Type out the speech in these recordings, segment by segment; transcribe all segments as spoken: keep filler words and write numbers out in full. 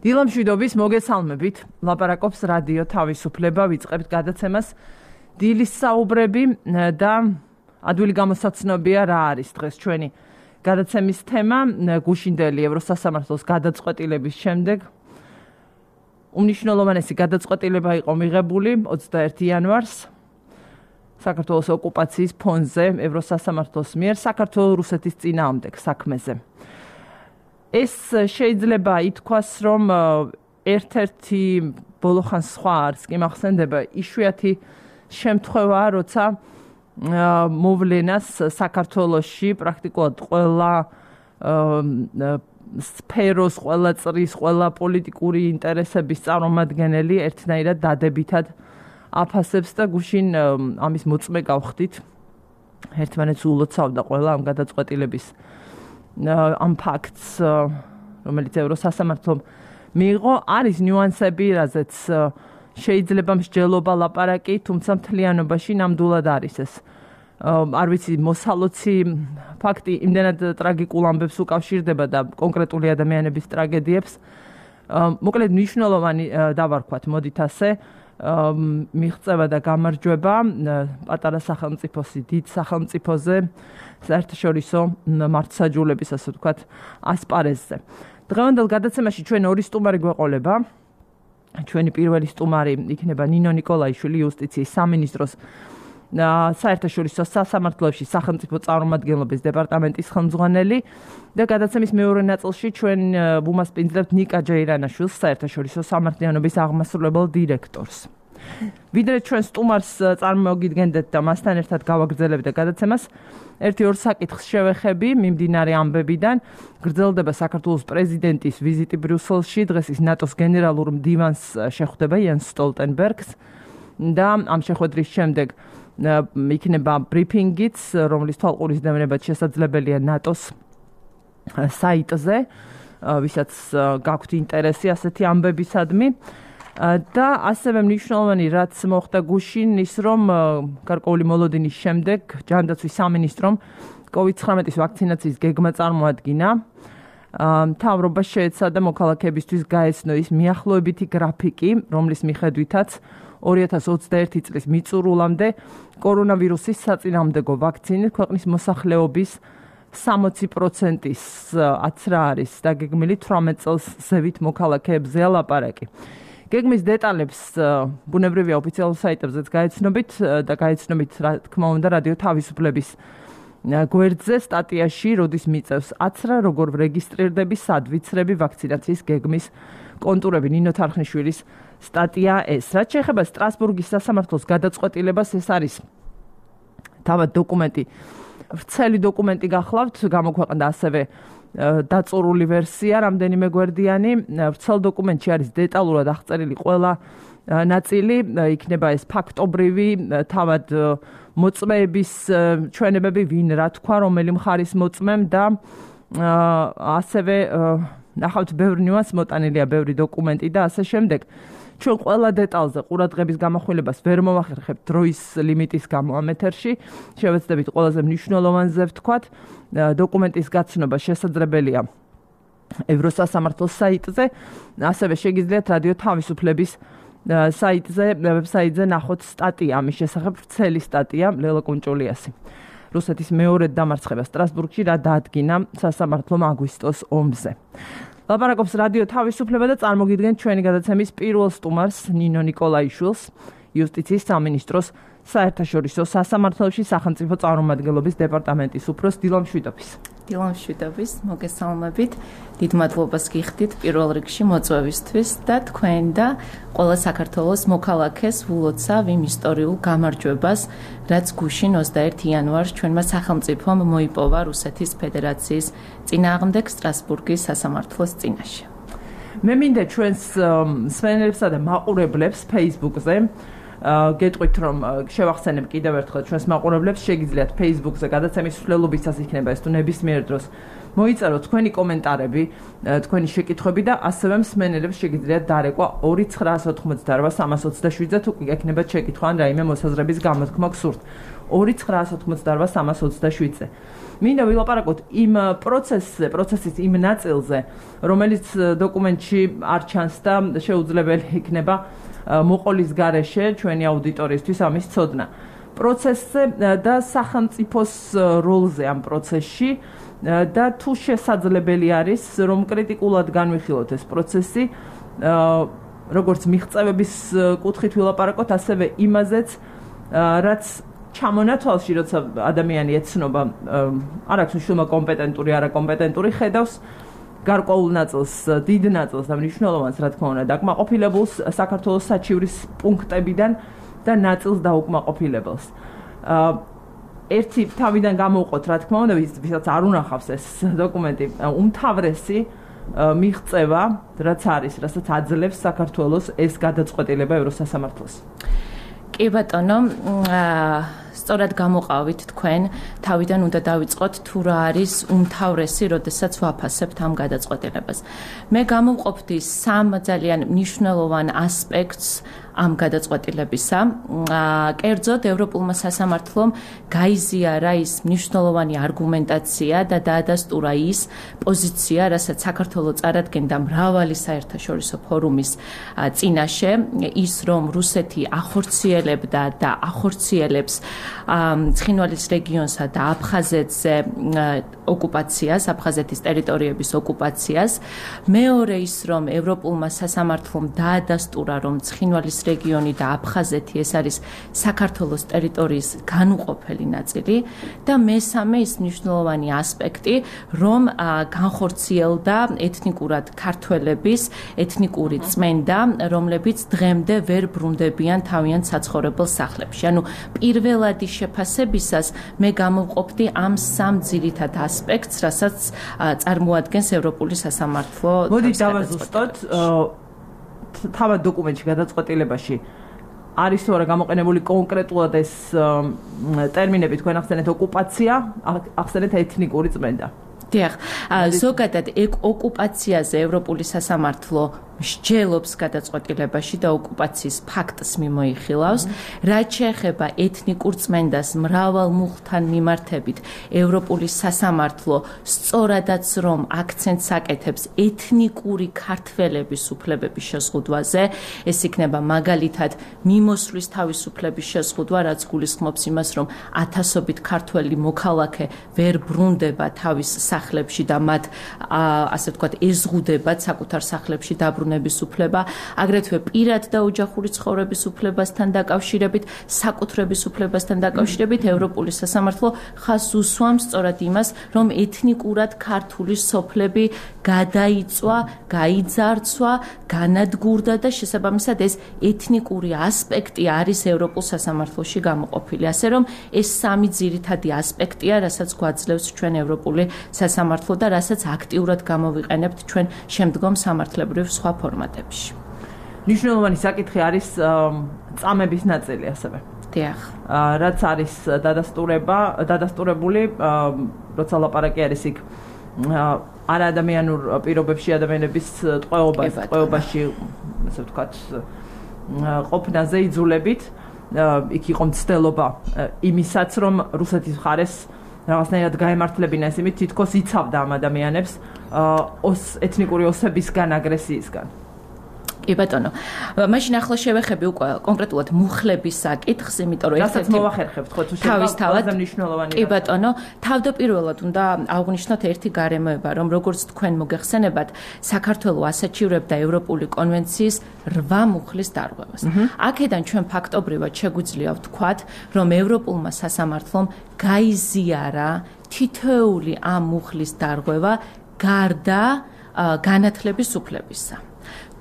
დილამშვიდობის მოგესალმებით. ლაპარაკობს რადიო თავისუფლება, ვიწყებთ გადაცემას დილის საუბრები და ადვილი გამოსაცნობია რა არის დღეს ჩვენი გადაცემის თემა გუშინდელი ევროსასამართლოს გადაწყვეტილების შემდეგ. უმნიშვნელოვანესი გადაწყვეტილება იყო მიღებული ოცდაერთი იანვარს საქართველოს ოკუპაციის ფონზე ევროსასამართლოს მიერ საქართველოს რუსეთის წინააღმდეგ საქმეზე. ეს შეიძლება ითქვას, რომ ერთ-ერთი ბოლოხანს სხვა არის კი მახსენდება იშვიათი შემთხვევაა, როცა მოვლენას საქართველოში პრაქტიკულად ყველა სფეროს, ყველა წრის, ყველა პოლიტიკური ინტერესების წარმომადგენელი ერთნაირად დადებითად აფასებს და გუშინ ამის მოწმე გავხდით. ერთმანეთს ულოცავდა ყველა ამ გადაწყვეტილების ამ ფაქტს, რომელიც ევროსასამართლომ მიიღო, არის ნიუანსები, რაზეც შეიძლება მსჯელობა ლაპარაკი, თუმცა მთლიანობაში ნამდვილად არის ეს. არ ვიცი, მოსალოცი ფაქტი იმდენად ტრაგიკულ ამბებს უკავშირდება და კონკრეტული ადამიანების ტრაგედიებს. მოკლედ მნიშვნელოვანი დავარქვათ, მოდით ასე, მიღწევა და გამარჯვება პატარა სახელმწიფოსი დიდ სახელმწიფოზე საერთაშორისო მართლმსაჯულების, ასე ვთქვათ, ასპარეზზე. დღევანდელ გადაცემაში ჩვენ ორი სტუმარი გვეყოლება. ჩვენი პირველი სტუმარი იქნება ნინო ნიკოლაიშვილი, იუსტიციის სამინისტროს საერთაშორისო სასამართლოებში სახელმწიფო წარმომადგენლობის დეპარტამენტის ხელმძღვანელი და გადაცემის მეორე ნაწილში ჩვენ ვუმასპინძლებთ ნიკა ჯეირანაშვილს, საერთაშორისო სამართლიანობის აღმასრულებელ დირექტორს. ვიდრე ჩვენ სტუმარს წარმოგიდგენდეთ და მასთან ერთად გავაგრძელებთ გადაცემას, ერთი-ორ საკითხს შევეხები მიმდინარე ამბებიდან. გრძელდება საქართველოს პრეზიდენტის ვიზიტი ბრიუსელში, დღეს ის ნატოს გენერალურ მდივანს შეხვდება იენს სტოლტენბერგს და ამ შეხვედრის შემდეგ იქნება ბრიფინგიც, რომლის თვალყურისდევნებაც შესაძლებელია ნატოს საიტზე, ვისაც გაქვთ ინტერესი ასეთი ამბებისადმი. და ასევე მნიშვნელოვანი რაც მოხდა გუშინ ის, რომ გარკვეული მოლოდინის შემდეგ ჯანდაცვის სამინისტრომ კოვიდ ცხრამეტის ვაქცინაციის გეგმა წარმოადგინა. მთავრობას შეეცადა მოქალაქეებისთვის გაეცნო ის მიახლოებითი გრაფიკი, რომლის მიხედვითაც ორი ათას ოცდაერთი წლის მიწურულამდე კორონავირუსის საწინააღმდეგო ვაქცინით ქვეყნის მოსახლეობის სამოცი პროცენტის აცრა არის დაგეგმილი თვრამეტ წელს ზევით მოქალაქეებზეა ლაპარაკი. გეგმის დეტალებს ბუნებრივია ოფიციალურ საიტებზეც გაეცნობით და გაეცნობით, რა თქმა უნდა, რადიო თავისუფლების გვერდზე სტატიაში, როდის მიწევს აცრა, როგორ რეგისტრირდები, სად ვიცრები ვაქცინაციის გეგმის კონტურები. ნინო თარხნიშვილის სტატია ეს. რაც შეეხება სტრასბურგის სასამართლოს გადაწყვეტილებას, ეს არის თავად დოკუმენტი, ვრცელი დოკუმენტი გახლავთ, გამოქვეყნდა ასევე დაწურული ვერსია, რამდენიმე გვერდიანი. ვრცელ დოკუმენტში არის დეტალურად აღწერილი ყველა ნაწილი, იქნება ეს ფაქტობრივი, თავად მოწმეების ჩვენებები, ვინ რა თქვა, რომელი მხარის მოწმემ და ასევე ნახავთ ბევრ ნიუანსს, მოტანილია ბევრი დოკუმენტი და ასე შემდეგ. ჩვენ ყველა დეტალზე ყურადღების გამახვილებას ვერ მოვახერხებთ დროის ლიმიტის გამო ამ ეთერში. შევეცდებით ყველაზე მნიშვნელოვანზე ვთქვათ. დოკუმენტის გაცნობა შესაძლებელია ევროსასამართლოს საიტზე, ასევე შეგიძლიათ რადიო თავისუფლების საიტზე, ვებსაიტზე ნახოთ სტატია ამის შესახებ, ვრცელი სტატია ლელა კუნჭულიასი. რუსეთის მეორედ დამარცხება სტრასბურგში რა დაადგინა სასამართლომ აგვისტოს ომზე. ლაპარაკობს რადიო თავისუფლება და წარმოგიდგენთ ჩვენი გადაცემის პირველ სტუმარს ნინო ნიკოლაიშვილს, იუსტიციის სამინისტროს საერთაშორისო სასამართლოებში სახელმწიფო წარმომადგენლობის დეპარტამენტის უფროს. დილამშვიდობის. დილამშვიდობის, მოგესალმებით. დიდ მადლობას გიხდით პირველ რიგში მოწვევისთვის და თქვენ და ყველა საქართველოს მოქალაქეს ვლოცავ იმ ისტორიულ გამარჯვებას, რაც გუშინ ოცდაერთი იანვარს ჩვენმა სახელმწიფომ მოიპოვა რუსეთის ფედერაციის წინააღმდეგ სტრასბურგის სასამართლოს წინაშე. მე მინდა ჩვენს მსმენელებსა და მაყურებლებს Facebook-ზე გეტყვით, რომ შევახსენებ კიდევ ერთხელ ჩვენს მაყურებლებს, შეგიძლიათ Facebook-ზე გადაცემის მსვლელობისას იქნება ეს თუ ნებისმიერ დროს მოიწეროთ თქვენი კომენტარები, თქვენი შეკითხვები და ასევე მსმენელებს შეგიძლიათ დარეკვა ორი ცხრაას ოთხმოცდაორ სამას ოცდაშვიდზე თუ გექნებათ შეკითხვა ან რაიმე მოსაზრების გამოთქმა გსურთ. ორი ცხრაას ოთხმოცდაორ სამას ოცდაშვიდზე. მინდა ვილაპარაკოთ იმ პროცესზე, პროცესის იმ ნაწილზე, რომელიც დოკუმენტში არ ჩანს და შეუძლებელი იქნება მოყოლის გარეშე ჩვენი აუდიტორიისთვის ამის ცოდნა. პროცესზე და სახელმწიფოს როლზე ამ პროცესში და თუ შესაძლებელი არის, რომ კრიტიკულად განვიხილოთ ეს პროცესი, როგორც მიღწევების კუთხით ვილაპარაკოთ, ასევე იმაზეც, რაც ჩამონათვალში, როცა ადამიანი ეცნობა, არ აქვს მნიშვნელობა კომპეტენტური, არაკომპეტენტური, ხედავს გარკვეულ ნაწილს, დიდ ნაწილს და მნიშვნელოვანს, რა თქმა უნდა, დაკმაყოფილებულს საქართველოს საჩივრის პუნქტებიდან და ნაწილს დაუკმაყოფილებელს. ერთი თავიდან გამოვყოთ, რა თქმა უნდა, ვისაც არ უნახავს ეს დოკუმენტი, უმთავრესი მიღწევა, რაც არის, რასაც აძლევს საქართველოს ეს გადაწყვეტილება ევროსასამართლოს. კი ბატონო, სწორად გამოყავით თქვენ, თავიდან უნდა დავიწყოთ თუ რა არის უმთავრესი, როდესაც ვაფასებთ ამ გადაწყვეტილებას. მე გამოვყოფდი სამ ძალიან მნიშვნელოვან ასპექტს ამ გადაწყვეტილებისა. კერძოდ, ევროპულმა სასამართლომ გაიზიარა ის მნიშვნელოვანი არგუმენტაცია და დაადასტურა ის პოზიცია, რასაც საქართველოს წარადგენდა მრავალი საერთაშორისო ფორუმის წინაშე, ის რომ რუსეთი ახორციელებდა და ახორციელებს ცხინვალის რეგიონსა და აფხაზეთზე ოკუპაციას, აფხაზეთის ტერიტორიების ოკუპაციას. მეორე ის, რომ ევროპულმა სასამართლომ დაადასტურა, რომ ცხინვალის რეგიონი და აფხაზეთი ეს არის საქართველოს ტერიტორიის განუყოფელი ნაწილი და მესამე ის მნიშვნელოვანი ასპექტი, რომ განხორციელდა ეთნიკურად ქართველების ეთნიკური წმენდა, რომლებიც დღემდე ვერ ბრუნდებიან თავიანთ საცხოვრებელ სახლებში. ანუ პირველადი შეფასებისას მე გამოვყოფდი ამ სამ ძირითად ასპექტს, რასაც წარმოადგენს ევროპული სასამართლო. მოდით დავაზუსტოთ, თავად დოკუმენტში გადაწყვეტილებაში არის თუ არა გამოყენებული კონკრეტულად ეს ტერმინები, თქვენ ახსენეთ ოკუპაცია, ახსენეთ ეთნიკური წმენდა. დიახ, ზოგადად ოკუპაციაზე ევროპული სასამართლო მსჯელობს გადაწყვეტილებაში და ოკუპაციის ფაქტს მიმოიხილავს. რაც შეეხება ეთნიკურ წმენდას მრავალ მუხლთან მიმართებით, ევროპული სასამართლო სწორადაც რომ აქცენტს აკეთებს ეთნიკური ქართველების უფლებების შეზღუდვაზე, ეს იქნება მაგალითად მიმოსვლის თავისუფლების შეზღუდვა, რაც გულისხმობს იმას, რომ ათასობით ქართველი მოქალაქე ვერ ბრუნდება თავის სახლებში და მათ ასე ვთქვათ ეზღუდებათ საკუთარ სახლებში დაბრუნება უფლება, აგრეთვე პირად და ოჯახური ცხოვრების უფლებასთან დაკავშირებით, საკუთრების უფლებასთან დაკავშირებით ევროპული სასამართლო ხაზს უსვამს სწორად იმას, რომ ეთნიკურად ქართული სოფლები გადაიწვა, გაიძარცვა, განადგურდა და შესაბამისად ეს ეთნიკური ასპექტი არის ევროპულ სასამართლოში გამოყოფილი. ასე რომ ეს სამი ძირითადი ასპექტია, რასაც გვაძლევს ჩვენ ევროპული სასამართლო და რასაც აქტიურად გამოვიყენებთ ჩვენ შემდგომ სამართლებრივ სხვა ფორმატებში. მნიშვნელოვანი საკითხი არის წამების ნაწილი ასევე. დიახ. რაც არის დადასტურება, დადასტურებული, როცა ლაპარაკი არის იქ არაადამიანურ პირობებში ადამიანების ტყვეობას, ტყვეობაში, ასე ვთქვათ, ყოფნაზე იძულებით, იქ იყო მცდელობა იმისაც, რომ რუსეთის მხარეს რაღაცნაირად გაემართლებინა ეს იმით, თითქოს იცავდა ამ ადამიანებს ეთნიკური ოსებისგან, აგრესიისგან. კი ბატონო. მაშინ ახლა შევეხები უკვე კონკრეტულად მუხლების საკითხს, იმიტომ რომ ერთად მოვახერხებთ, ხო თუ თავისთავად მნიშვნელოვანი. კი ბატონო, თავდაპირველად უნდა აღვნიშნოთ ერთი გარემოება, რომ როგორც თქვენ მოგეხსენებათ, საქართველოს ასაჩივრებდა ევროპული კონვენციის რვა მუხლის დარღვევას. აქედან ჩვენ ფაქტობრივად შეგვიძლია ვთქვათ, რომ ევროპულმა სასამართლომ გაიზიარა თითოეული ამ მუხლის დარღვევა გარდა განათლების უფლებისა.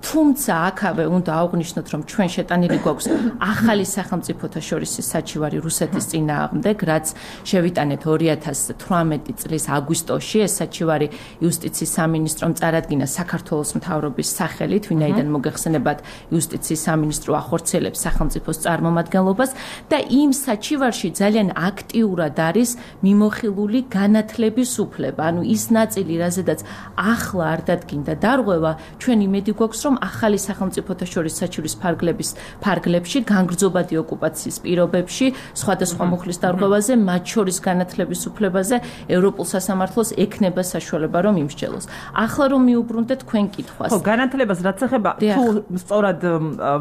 თუმცა აქავე უნდა აღვნიშნოთ, რომ ჩვენ შეტანილი გვაქვს ახალი სახელმწიფოთა შორის საჩივარი რუსეთის წინააღმდეგ, რაც შევიტანეთ ორი ათას თვრამეტი წლის აგვისტოში. ეს საჩივარი იუსტიციის სამინისტრომ წარადგინა საქართველოს მთავრობის სახელით, ვინაიდან მოგეხსენებათ იუსტიციის სამინისტრო ახორციელებს სახელმწიფოს წარმომადგენლობას და იმ საჩივარში ძალიან აქტიურად არის მიმოხილული განათლების უფლება. ანუ ის ნაწილი, რაზედაც ახლა არ დადგინდა დარღვევა, ჩვენ იმედი გვაქვს, რომ ახალი სახელმწიფოთა შორის საჩივრის ფარგლების ფარგლებში, განგრძობადი ოკუპაციის პირობებში, სხვადასხვა მუხლის დარღვევაზე, მათ შორის განათლების უფლებაზე ევროპულ სასამართლოს ექნება საშუალება, რომ იმსჯელოს. ახლა რომ მიუბრუნდეთ თქვენ კითხვას. ხო, განათლებას რაც ეხება, თუ სწორად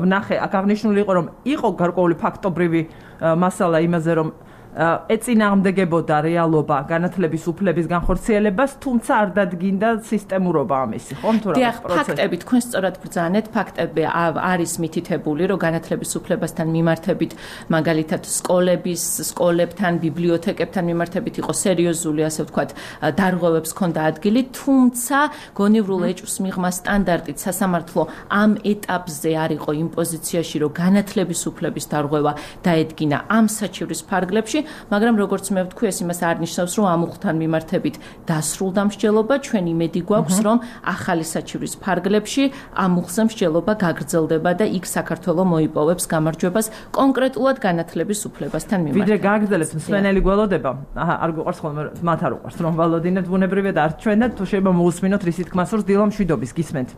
ვნახე, აქ აღნიშნული იყო, რომ იყო გარკვეული ფაქტობრივი მასალა იმაზე, რომ ეწინააღმდეგებოდა რეალობა განათლების უფლების განხორციელებას, თუმცა არ დადგინდა სისტემურობა ამისი, ხო? თუ რა ფაქტები თქვენ სწორად ბრძანეთ, ფაქტები არის მითითებული, რომ განათლების უფლებასთან მიმართებით, მაგალითად, სკოლების, სკოლებთან, ბიბლიოთეკებთან მიმართებით იყო სერიოზული, ასე ვთქვათ, დარღვევებს ჰქონდა ადგილი, თუმცა გონივრულ ეჭვს მიღმა სტანდარტით სასამართლო ამ ეტაპზე არ იყო იმ პოზიციაში, რომ განათლების უფლების დარღვევა დაედგინა ამ საჩივრის ფარგლებში. მაგრამ როგორც მე ვთქვი, ეს იმას არ ნიშნავს, რომ ამ უხლთან მიმართებით დასრულდა მსჯელობა, ჩვენ იმედი გვაქვს, რომ ახალი საჩივრის ფარგლებში ამ უხლზე მსჯელობა გაგრძელდება და იქ საქართველო მოიპოვებს გამარჯვებას კონკრეტულად განათლების უფლებასთან მიმართებით. ვიდრე გააგრძელებს მსმენელი გველოდება, აჰა, არ გვიყვარს ხოლმე მათ არ უყვარს, რომ ვალოდინებთ ბუნებრივია და არ ჩვენ და თუ შეიძლება მოусმინოთ რისი თქმა სურს დილა მშვიდობის, გისმენთ?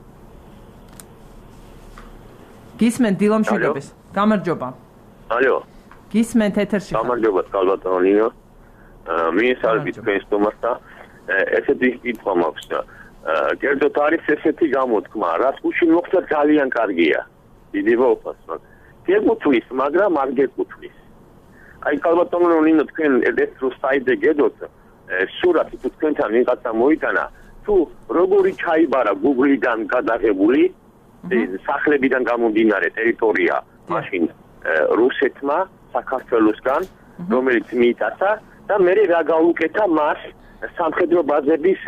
გისმენთ დილა მშვიდობის. გამარჯობა. ალო. გისმენთ ეთერში. გამარჯობა, კალბატონინო. მინისტრების პრეზიდენტს და ესეთი კითხვა მაქვს. კერძოდ არის ესეთი გამოთქმა, რაც გუშინ მოხდა ძალიან კარგია. დიდი ვოფას, მაგრამ გეკუთვნის, მაგრამ არ გეკუთვნის. აი კალბატონინო, თქვენ ელექტრო საიტზე გედოთ სურათი თუ თქვენთან ვიღაცა მოიტანა, თუ როგორი ჩაიბარა Google-დან გადაღებული სახლებიდან გამომდინარე ტერიტორია მაშინ რუსეთმა საქართველოსგან, რომელიც მიიტაცა და მე რა გაუკეთა მას სამხედრო ბაზების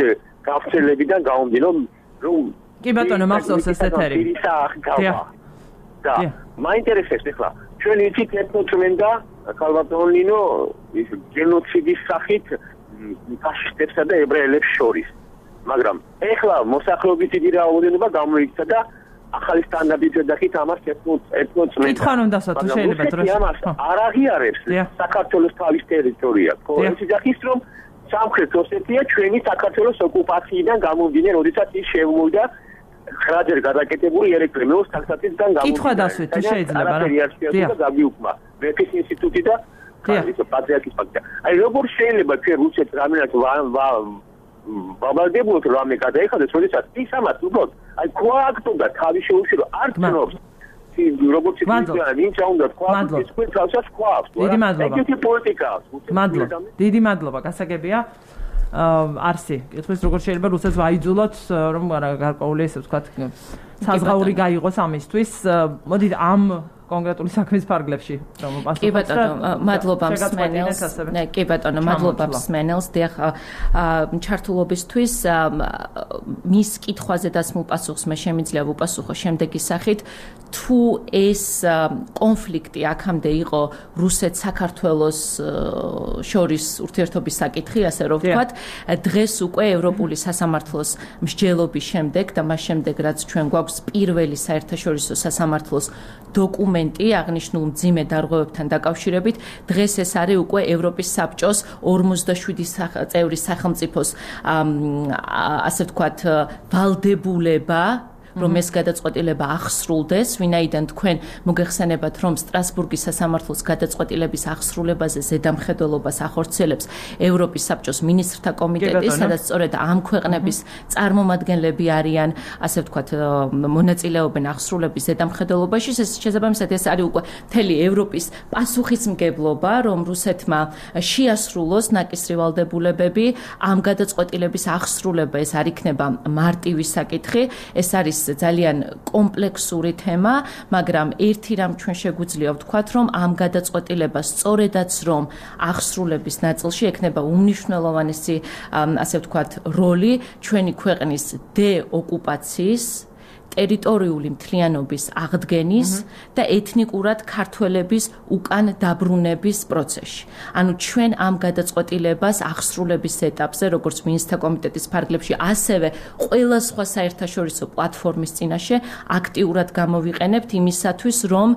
გავრცელებიდან გამომდინარე, რომ კი ბატონო, მახსოვს ეს ეთერი. და მაინტერესებს ახლა, ჩვენ იცით ეთნოწმენდა კალბატონინო ის გენოციდის სახით ფაშისტებსა და ებრაელებს შორის. მაგრამ ახლა მოსახლეობის დიდი რაოდენობა გამოიქცა და ახალი სტანდარტით დაკით ამას ეთნოწმენდა. კითხვა უნდა დასვა, თუ შეიძლება დროში. ამას არ აღიარებს საქართველოს თავის ტერიტორია. ხო, ეს იზახის რომ სამხრეთ ოსეთია ჩვენი საქართველოს ოკუპაციიდან გამომდინარე, როდესაც ის შემოვიდა ხრაჯერ გადაკეთებული ელექტრომეოს თანხმობიდან გამომდინარე. კითხვა დასვით, თუ შეიძლება რა. და გაგიუქმა მეფის ინსტიტუტი და პატრიარქის ფაქტია. აი როგორ შეიძლება ჩვენ რუსეთს რამენად ვაბალდებოთ რამე გადაიხადეს, როდესაც ის ამას უბრალოდ აი ქვააქტობდა თავის შეუშირო არ თნობს. როგორც ისე ვინც უნდა თქვა, ის თქვენ თავსაც ქვაავს. დიდი მადლობა. ეგეთი პოლიტიკა. მადლობა. დიდი მადლობა, გასაგებია. არსი, კითხვის როგორ შეიძლება რუსეთს ვაიძულოთ, რომ გარკვეული ესე ვთქვათ, საზღაური გაიღოს ამისთვის. მოდით ამ კონკრეტული საქმის ფარგლებში რომ პასუხობთ. კი ბატონო, მადლობა მსმენელს. კი ბატონო, მადლობა მსმენელს. დიახ, ჩართულობისთვის მის კითხვაზე დასმულ პასუხს მე შემიძლია ვუპასუხო შემდეგი სახით. თუ ეს კონფლიქტი აქამდე იყო რუსეთ-საქართველოს შორის ურთიერთობის საკითხი, ასე რომ ვთქვათ, დღეს უკვე ევროპული სასამართლოს მსჯელობის შემდეგ და მას შემდეგ, რაც ჩვენ გვაქვს პირველი საერთაშორისო სასამართლოს დოკუმენტი აღნიშნულ მძიმე დარღვევებთან დაკავშირებით, დღეს ეს არის უკვე ევროპის საბჭოს ორმოცდაშვიდი წევრი სახელმწიფოს ასე ვთქვათ ვალდებულება რომ ეს გადაწყვეტილება ახსრულდეს, ვინაიდან თქვენ მოგეხსენებათ, რომ სტრასბურგის სასამართლოს გადაწყვეტილების ახსრულებაზე ზედამხედველობას ახორციელებს ევროპის საბჭოს მინისტრთა კომიტეტი, სადაც სწორედ ამ ქვეყნების წარმომადგენლები არიან, ასე ვთქვათ, მონაწილეობენ ახსრულების ზედამხედველობაში. შესაბამისად, ეს არის უკვე მთელი ევროპის პასუხისმგებლობა, რომ რუსეთმა შეასრულოს ნაკისრი ვალდებულებები, ამ გადაწყვეტილების ახსრულება ეს არ იქნება მარტივი საკითხი, ეს არის ძალიან კომპლექსური თემა, მაგრამ ერთი რამ ჩვენ შეგვიძლია ვთქვათ, რომ ამ გადაწყვეტილებას სწორედაც რომ ახსრულების ნაწილში ექნება უმნიშვნელოვანესი, ასე ვთქვათ, როლი ჩვენი ქვეყნის დეოკუპაციის ტერიტორიული მთლიანობის აღდგენის და ეთნიკურად ქართველების უკან დაბრუნების პროცესში. ანუ ჩვენ ამ გადაწყვეტილებას აღსრულების ეტაპზე, როგორც მინისტრთა კომიტეტის ფარგლებში, ასევე ყველა სხვა საერთაშორისო პლატფორმის წინაშე აქტიურად გამოვიყენებთ იმისათვის, რომ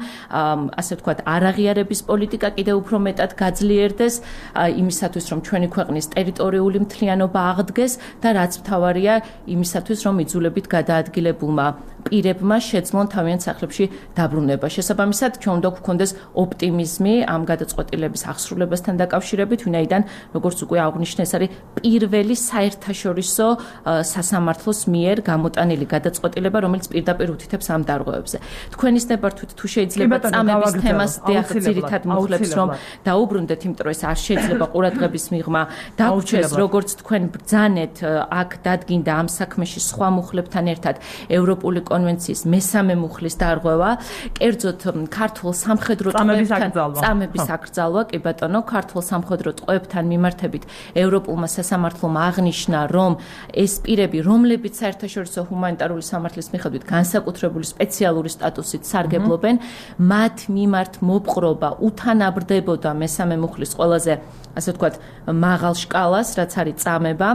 ასე ვთქვათ, არაღიარების პოლიტიკა კიდევ უფრო მეტად გაძლიერდეს, იმისათვის, რომ ჩვენი ქვეყნის ტერიტორიული მთლიანობა აღდგეს და რაც მთავარია, იმისათვის, რომ იძულებით გადაადგილებულმა პირებმა შეძლონ თავიანთ სახლებში დაბრუნება. შესაბამისად, ჩვენ უნდა გვქონდეს ოპტიმიზმი ამ გადაწყვეტილების აღსრულებასთან დაკავშირებით, ვინაიდან, როგორც უკვე აღვნიშნე, ეს არის პირველი საერთაშორისო სასამართლოს მიერ გამოტანილი გადაწყვეტილება, რომელიც პირდაპირ უთითებს ამ დარღვევებზე. თქვენის ნებართვით თუ შეიძლება წამების თემას დიახ ძირითად მოხლებს, რომ დაუბრუნდეთ, იმიტომ რომ ეს არ შეიძლება ყურადღების მიღმა დაგვრჩეს, როგორც თქვენ ბრძანეთ, აქ დადგინდა ამ საქმეში სხვა მუხლებთან ერთად ევროპული კონვენციის მესამე მუხლის დარღვევა, კერძოდ ქართულ სამხედრო ტყვეებთან წამების აკრძალვა, კი ბატონო, ქართულ სამხედრო ტყვეებთან მიმართებით ევროპულმა სასამართლომ აღნიშნა, რომ ეს პირები, რომლებიც საერთაშორისო ჰუმანიტარული სამართლის მიხედვით განსაკუთრებული სპეციალური სტატუსით სარგებლობენ, მათ მიმართ მოპყრობა უთანაბრდებოდა მესამე მუხლის ყველაზე, ასე ვთქვათ, მაღალ შკალას, რაც არის წამება,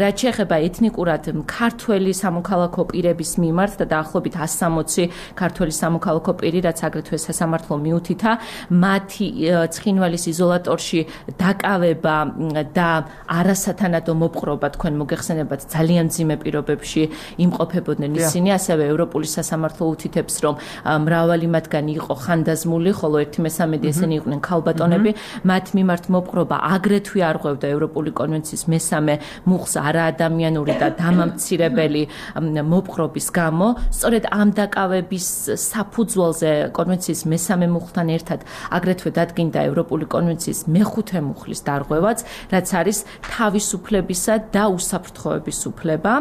რაც შეეხება ეთნიკურად ქართველი სამოქალაქო პირების მიმართ და დაახლოებით ათს სამოცი ქართველი სამოქალაქო პირი, რაც აგრეთვე სასამართლო მიუთითა, მათი ცხინვალის იზოლატორში დაკავება და არასათანადო მოპყრობა, თქვენ მოგეხსენებათ, ძალიან მძიმე პირობებში იმყოფებოდნენ ისინი, ასევე ევროპული სასამართლო უთითებს, რომ მრავალი მათგანი იყო ხანდაზმული, ხოლო ერთი მესამედი ესენი იყვნენ ქალბატონები, მათ მიმართ მოპყრობა აგრეთვე არღვევდა ევროპული კონვენციის მესამე მუხლს არაადამიანური და დამამცირებელი მოპყრობის გამო. სწორედ ამ დაკავების საფუძველზე კონვენციის მესამე მუხლთან ერთად აგრეთვე დადგინდა ევროპული კონვენციის მეხუთე მუხლის დარღვევაც, რაც არის თავისუფლებისა და უსაფრთხოების უფლება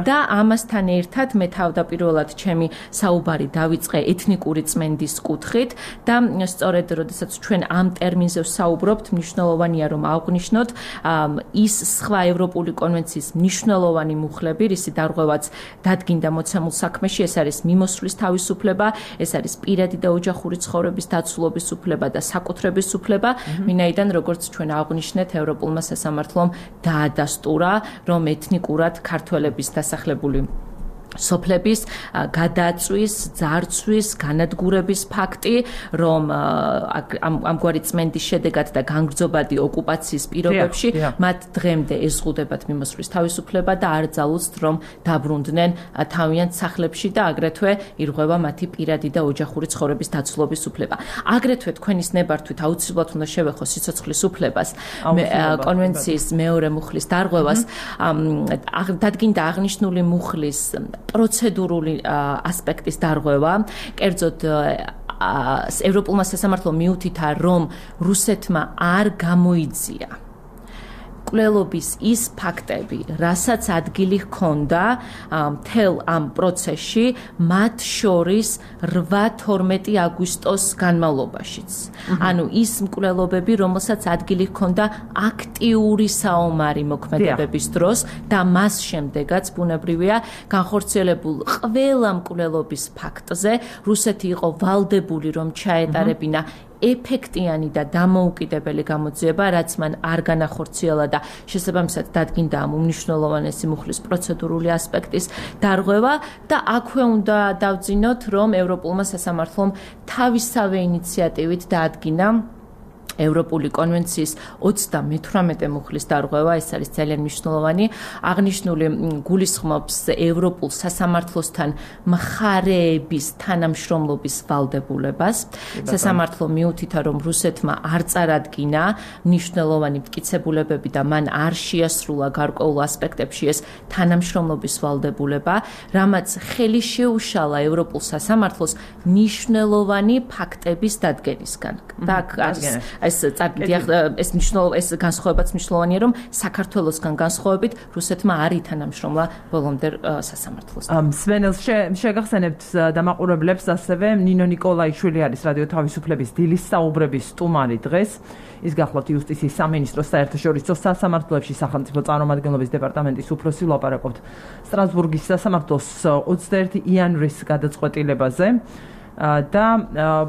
და ამასთან ერთად მე თავდაპირველად ჩემი საუბარი დავიწყე ეთნიკური წმენდის კუთხით და სწორედ როდესაც ჩვენ ამ ტერმინზე ვსაუბრობთ, მნიშვნელოვანია რომ აღვნიშნოთ ის სხვა ევროპული კონვენციის მნიშვნელოვანი მუხლები, რისი დარღვევაც დადგინდა მოცემულ საქმეში, ეს არის მიმოსვლის თავისუფლება, ეს არის პირადი და ოჯახური ცხოვრების დაცულობის უფლება და საკუთრების უფლება, ვინაიდან როგორც ჩვენ აღვნიშნეთ, ევროპულმა სასამართლომ დაადასტურა, რომ ეთნიკურად ქართველების დასახლებული სოფლების გადაწვის, ძარცვის, განადგურების ფაქტი, რომ ამგვარი წმენდის შედეგად და განგრძობადი ოკუპაციის პირობებში მათ დღემდე ეზღუდებათ მიმოსვლის თავისუფლება და არ ძალუძთ, რომ დაბრუნდნენ თავიანთ სახლებში და აგრეთვე ირღვევა მათი პირადი და ოჯახური ცხოვრების დაცულობის უფლება. აგრეთვე თქვენის ნებართვით აუცილებლად უნდა შევეხო სიცოცხლის უფლებას, კონვენციის მეორე მუხლის დარღვევას, დადგინდა აღნიშნული მუხლის პროცედურული ასპექტის დარღვევა, კერძოდ ევროპულმა სასამართლომ მიუთითა, რომ რუსეთმა არ გამოიძია მკვლელობის ის ფაქტები, რასაც ადგილი ჰქონდა მთელ ამ პროცესში, მათ შორის რვა თორმეტი აგვისტოს განმავლობაშიც. ანუ ის მკვლელობები, რომელსაც ადგილი ჰქონდა აქტიური საომარი მოქმედებების დროს და მას შემდეგაც ბუნებრივია განხორციელებულ ყველა მკვლელობის ფაქტზე რუსეთი იყო ვალდებული, რომ ჩაეტარებინა ეფექტიანი და დამოუკიდებელი გამოძიება, რაც მან არ განახორციელა და შესაბამისად დადგინდა ამ უმნიშვნელოვანესი მუხლის პროცედურული ასპექტის დარღვევა და აქვე უნდა დავძინოთ, რომ ევროპულმა სასამართლომ თავისავე ინიციატივით დაადგინა ევროპული კონვენციის ოცდამეთვრამეტე მუხლის დარღვევა, ეს არის ძალიან მნიშვნელოვანი, აღნიშნული გულისხმობს ევროპულ სასამართლოსთან მხარეების თანამშრომლობის ვალდებულებას. სასამართლო მიუთითა, რომ რუსეთმა არ წარადგინა მნიშვნელოვანი მტკიცებულებები და მან არ შეასრულა გარკვეულ ასპექტებში ეს თანამშრომლობის ვალდებულება, რამაც ხელი შეუშალა ევროპულ სასამართლოს მნიშვნელოვანი ფაქტების დადგენისგან. და არის ეს წაგიდი ეს მნიშვნელოვანი ეს განსხვავებაც მნიშვნელოვანია რომ საქართველოსგან განსხვავებით რუსეთმა არ ითანამშრომლა ბოლომდე სასამართლოს. სვენელს შეგახსენებთ დამაყურებლებს ასევე ნინო ნიკოლაიშვილი არის რადიო თავისუფლების დილის საუბრების სტუმარი დღეს. ის გახლავთ იუსტიციის სამინისტროს საერთაშორისო სასამართლოებში სახელმწიფო წარმომადგენლობის დეპარტამენტის უფროსი ლაპარაკობთ სტრასბურგის სასამართლოს ოცდაერთი იანვრის გადაწყვეტილებაზე და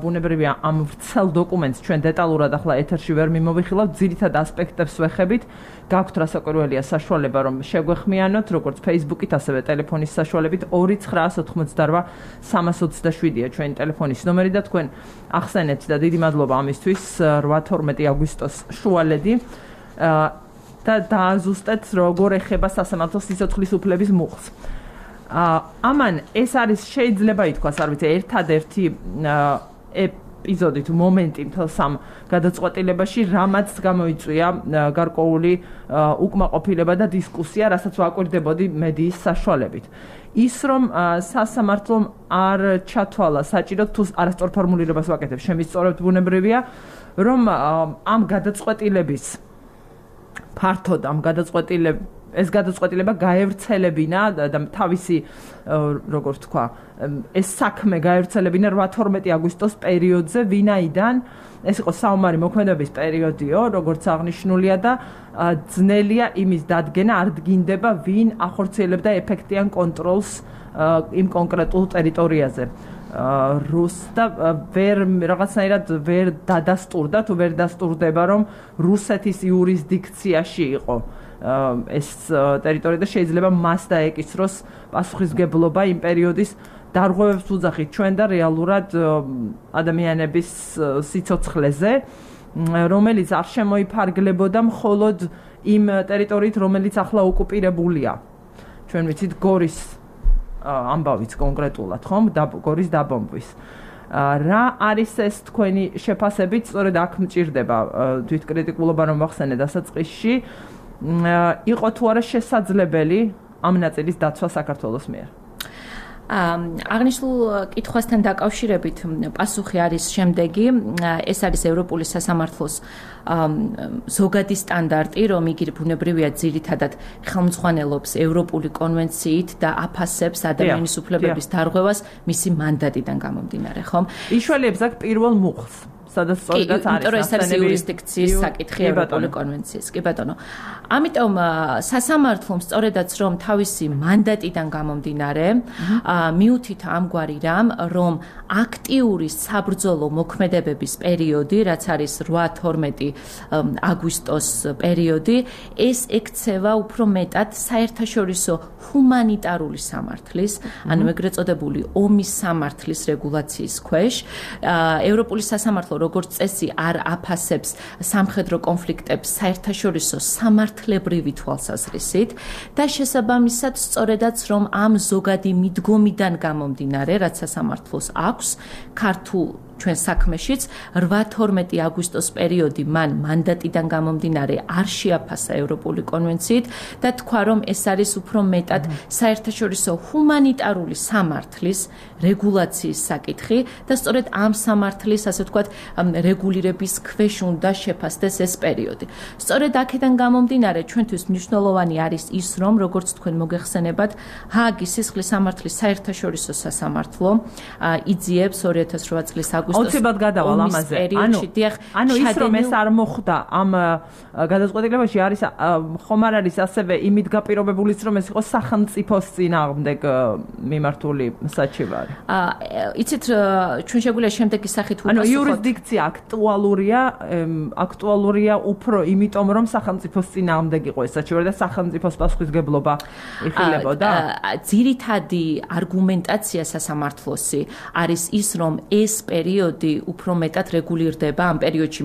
ბუნებრივია ამ ვრცელ დოკუმენტს ჩვენ დეტალურად ახლა ეთერში ვერ მიმოვიხილავთ, ძირითად ასპექტებს ვეხებით. გაქვთ რასაკვირველია საშუალება რომ შეგვეხმიანოთ, როგორც Facebook-ით, ასევე ტელეფონის საშუალებით ორი ცხრა ოცდაოთხმოცდაოთხ სამას ოცდაშვიდია ჩვენი ტელეფონის ნომერი და თქვენ ახსენეთ და დიდი მადლობა ამისთვის რვა თორმეტი აგვისტოს შუალედი და დააზუსტეთ როგორ ეხება სასამართლოს სიცოცხლის უფლების მუხლს. ამან ეს არის შეიძლება ითქვას, არ ვიცი, ერთადერთი ეპიზოდი თუ მომენტი მთელ სამ გადაწყვეტილებაში, რამაც გამოიწვია გარკვეული უკმაყოფილება და დისკუსია, რასაც ვაკვირდებოდი მედიის საშუალებით. ის რომ სასამართლომ არ ჩათვალა საჭიროდ თუ არასწორ ფორმულირებას ვაკეთებ, შემისწორებთ ბუნებრივია, რომ ამ გადაწყვეტილების ფართოდ ამ გადაწყვეტილების ეს გადაწყვეტილება გაევრცელებინა და თავისი როგორ ვთქვა ეს საქმე გაევრცელებინა რვა თორმეტი აგვისტოს პერიოდზე, ვინაიდან ეს იყო საომარი მოქმედების პერიოდიო, როგორც აღნიშნულია და ძნელია იმის დადგენა, არ დგინდება ვინ ახორციელებდა ეფექტიან კონტროლს იმ კონკრეტულ ტერიტორიაზე. რუს და ვერ რაღაცნაირად ვერ დადასტურდა თუ ვერ დასტურდება რომ რუსეთის იურისდიქციაში იყო ეს ტერიტორია და შეიძლება მას დაეკისროს პასუხისმგებლობა იმ პერიოდის დარღვევებს უძახით ჩვენ და რეალურად ადამიანების სიცოცხლეზე, რომელიც არ შემოიფარგლებოდა მხოლოდ იმ ტერიტორიით, რომელიც ახლა ოკუპირებულია. ჩვენ ვიცით გორის ამბავიც კონკრეტულად, ხომ? გორის დაბომბვის. რა არის ეს თქვენი შეფასებით? სწორედ აქ მჭირდება თვითკრიტიკულობა რომ ვახსენე დასაწყისში. იყო თუ არა შესაძლებელი ამ ნაწილის დაცვა საქართველოს მიერ? აღნიშნულ კითხვასთან დაკავშირებით პასუხი არის შემდეგი. ეს არის ევროპული სასამართლოს ზოგადი სტანდარტი, რომ იგი ბუნებრივია ძირითადად ხელმძღვანელობს ევროპული კონვენციით და აფასებს ადამიანის უფლებების დარღვევას მისი მანდატიდან გამომდინარე, ხომ? იშველებს აქ პირველ მუხლს. სადაც სწორედაც არის იმიტომ რომ ეს არის იურისდიქციის საკითხი ევროპული კონვენციის. კი ბატონო. ამიტომ სასამართლომ სწორედაც რომ თავისი მანდატიდან გამომდინარე, მიუთითა ამგვარი რამ, რომ აქტიური საბრძოლო მოქმედებების პერიოდი, რაც არის რვა თორმეტი აგვისტოს პერიოდი, ეს ექცევა უფრო მეტად საერთაშორისო ჰუმანიტარული სამართლის, ანუ ეგრეთ წოდებული ომის სამართლის რეგულაციის ქვეშ. ევროპული სასამართლო როგორც წესი არ აფასებს სამხედრო კონფლიქტებს საერთაშორისო სამართლებრივი თვალსაზრისით და შესაბამისად სწორედაც რომ ამ ზოგადი მიდგომიდან გამომდინარე, რაც სასამართლოს აქვს ქართულ ჩვენ საქმეშიც რვა თორმეტი აგვისტოს პერიოდი მან მანდატიდან გამომდინარე არ შეაფასა ევროპული კონვენციით და თქვა რომ ეს არის უფრო მეტად საერთაშორისო ჰუმანიტარული სამართლის რეგულაციის საკითხი და სწორედ ამ სამართლის ასე ვთქვათ რეგულირების ქვეშ უნდა შეფასდეს ეს პერიოდი. სწორედ აქედან გამომდინარე ჩვენთვის მნიშვნელოვანი არის ის რომ როგორც თქვენ მოგეხსენებათ ჰააგის სისხლის სამართლის საერთაშორისო სასამართლო იძიებს ორი ათას რვა წლის აუცილებლად გადავალ ამაზე. ანუ ანუ ის რომ ეს არ მოხდა ამ გადაწყვეტილებაში არის ხომ არ არის ასევე იმით გაპირობებულიც რომ ეს იყო სახელმწიფოს წინააღმდეგ მიმართული საჩივარი. აა იცით ჩვენ შეგვიძლია შემდეგი სახით უპასუხოთ. ანუ იურისდიქცია აქტუალურია აქტუალურია უფრო იმიტომ რომ სახელმწიფოს წინააღმდეგ იყო ეს საჩივარი და სახელმწიფოს პასუხისმგებლობა იხილებოდა. ძირითადი არგუმენტაცია სასამართლოსი არის ის რომ ეს პერიოდი უფრო მეტად რეგულირდება ამ პერიოდში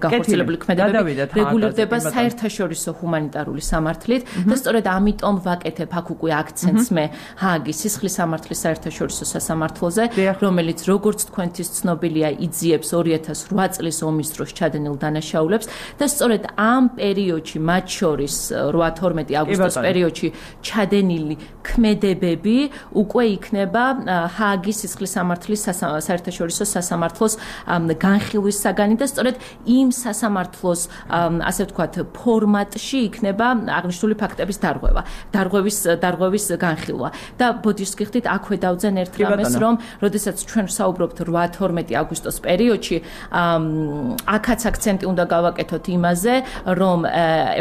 განხორციელებული ქმედებები რეგულირდება საერთაშორისო ჰუმანიტარული სამართლით და სწორედ ამიტომ ვაკეთებ აქ უკვე აქცენტს მე ჰააგის სისხლის სამართლის საერთაშორისო სასამართლოზე, რომელიც როგორც თქვენთვის ცნობილია იძიებს ორი ათას რვა წლის ომის დროს ჩადენილ დანაშაულებს და სწორედ ამ პერიოდში მათ შორის რვა თორმეტი აგვისტოს პერიოდში ჩადენილი ქმედებები უკვე იქნება ჰააგის სისხლის სამართლის საერთაშორისო სასამართლოს სასამართლოს განხილვის საგანი და სწორედ იმ სასამართლოს ასე ვთქვათ ფორმატში იქნება აღნიშნული ფაქტების დარღვევა, დარღვევის დარღვევის განხილვა. და ბოდიშს გიხდით აქვე დავძენ ერთ რამეს, რომ როდესაც ჩვენ ვსაუბრობთ რვა თორმეტი აგვისტოს პერიოდში, აქაც აქცენტი უნდა გავაკეთოთ იმაზე, რომ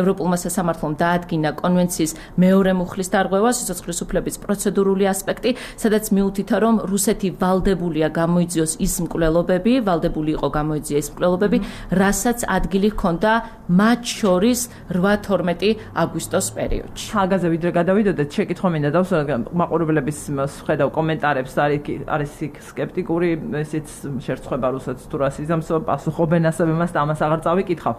ევროპულმა სასამართლომ დაადგინა კონვენციის მეორე მუხლის დარღვევა, სიცოცხლის უფლების პროცედურული ასპექტი, სადაც მიუთითა, რომ რუსეთი ვალდებულია გამოიძიოს ის მკვლელობები, ვალდებული იყო გამოიძია ის მკვლელობები, რასაც ადგილი ჰქონდა მათ შორის რვა თორმეტი აგვისტოს პერიოდში. ხალხაზე ვიდრე გადავიდოდეთ, შეკითხვა მინდა დავსვათ მაყურებლების ხედავ კომენტარებს, არის იქ სკეპტიკური, ესეც შერწყება რუსეთს თუ რა სიზამსო პასუხობენ ასევე მას და ამას აღარ წავიკითხავ.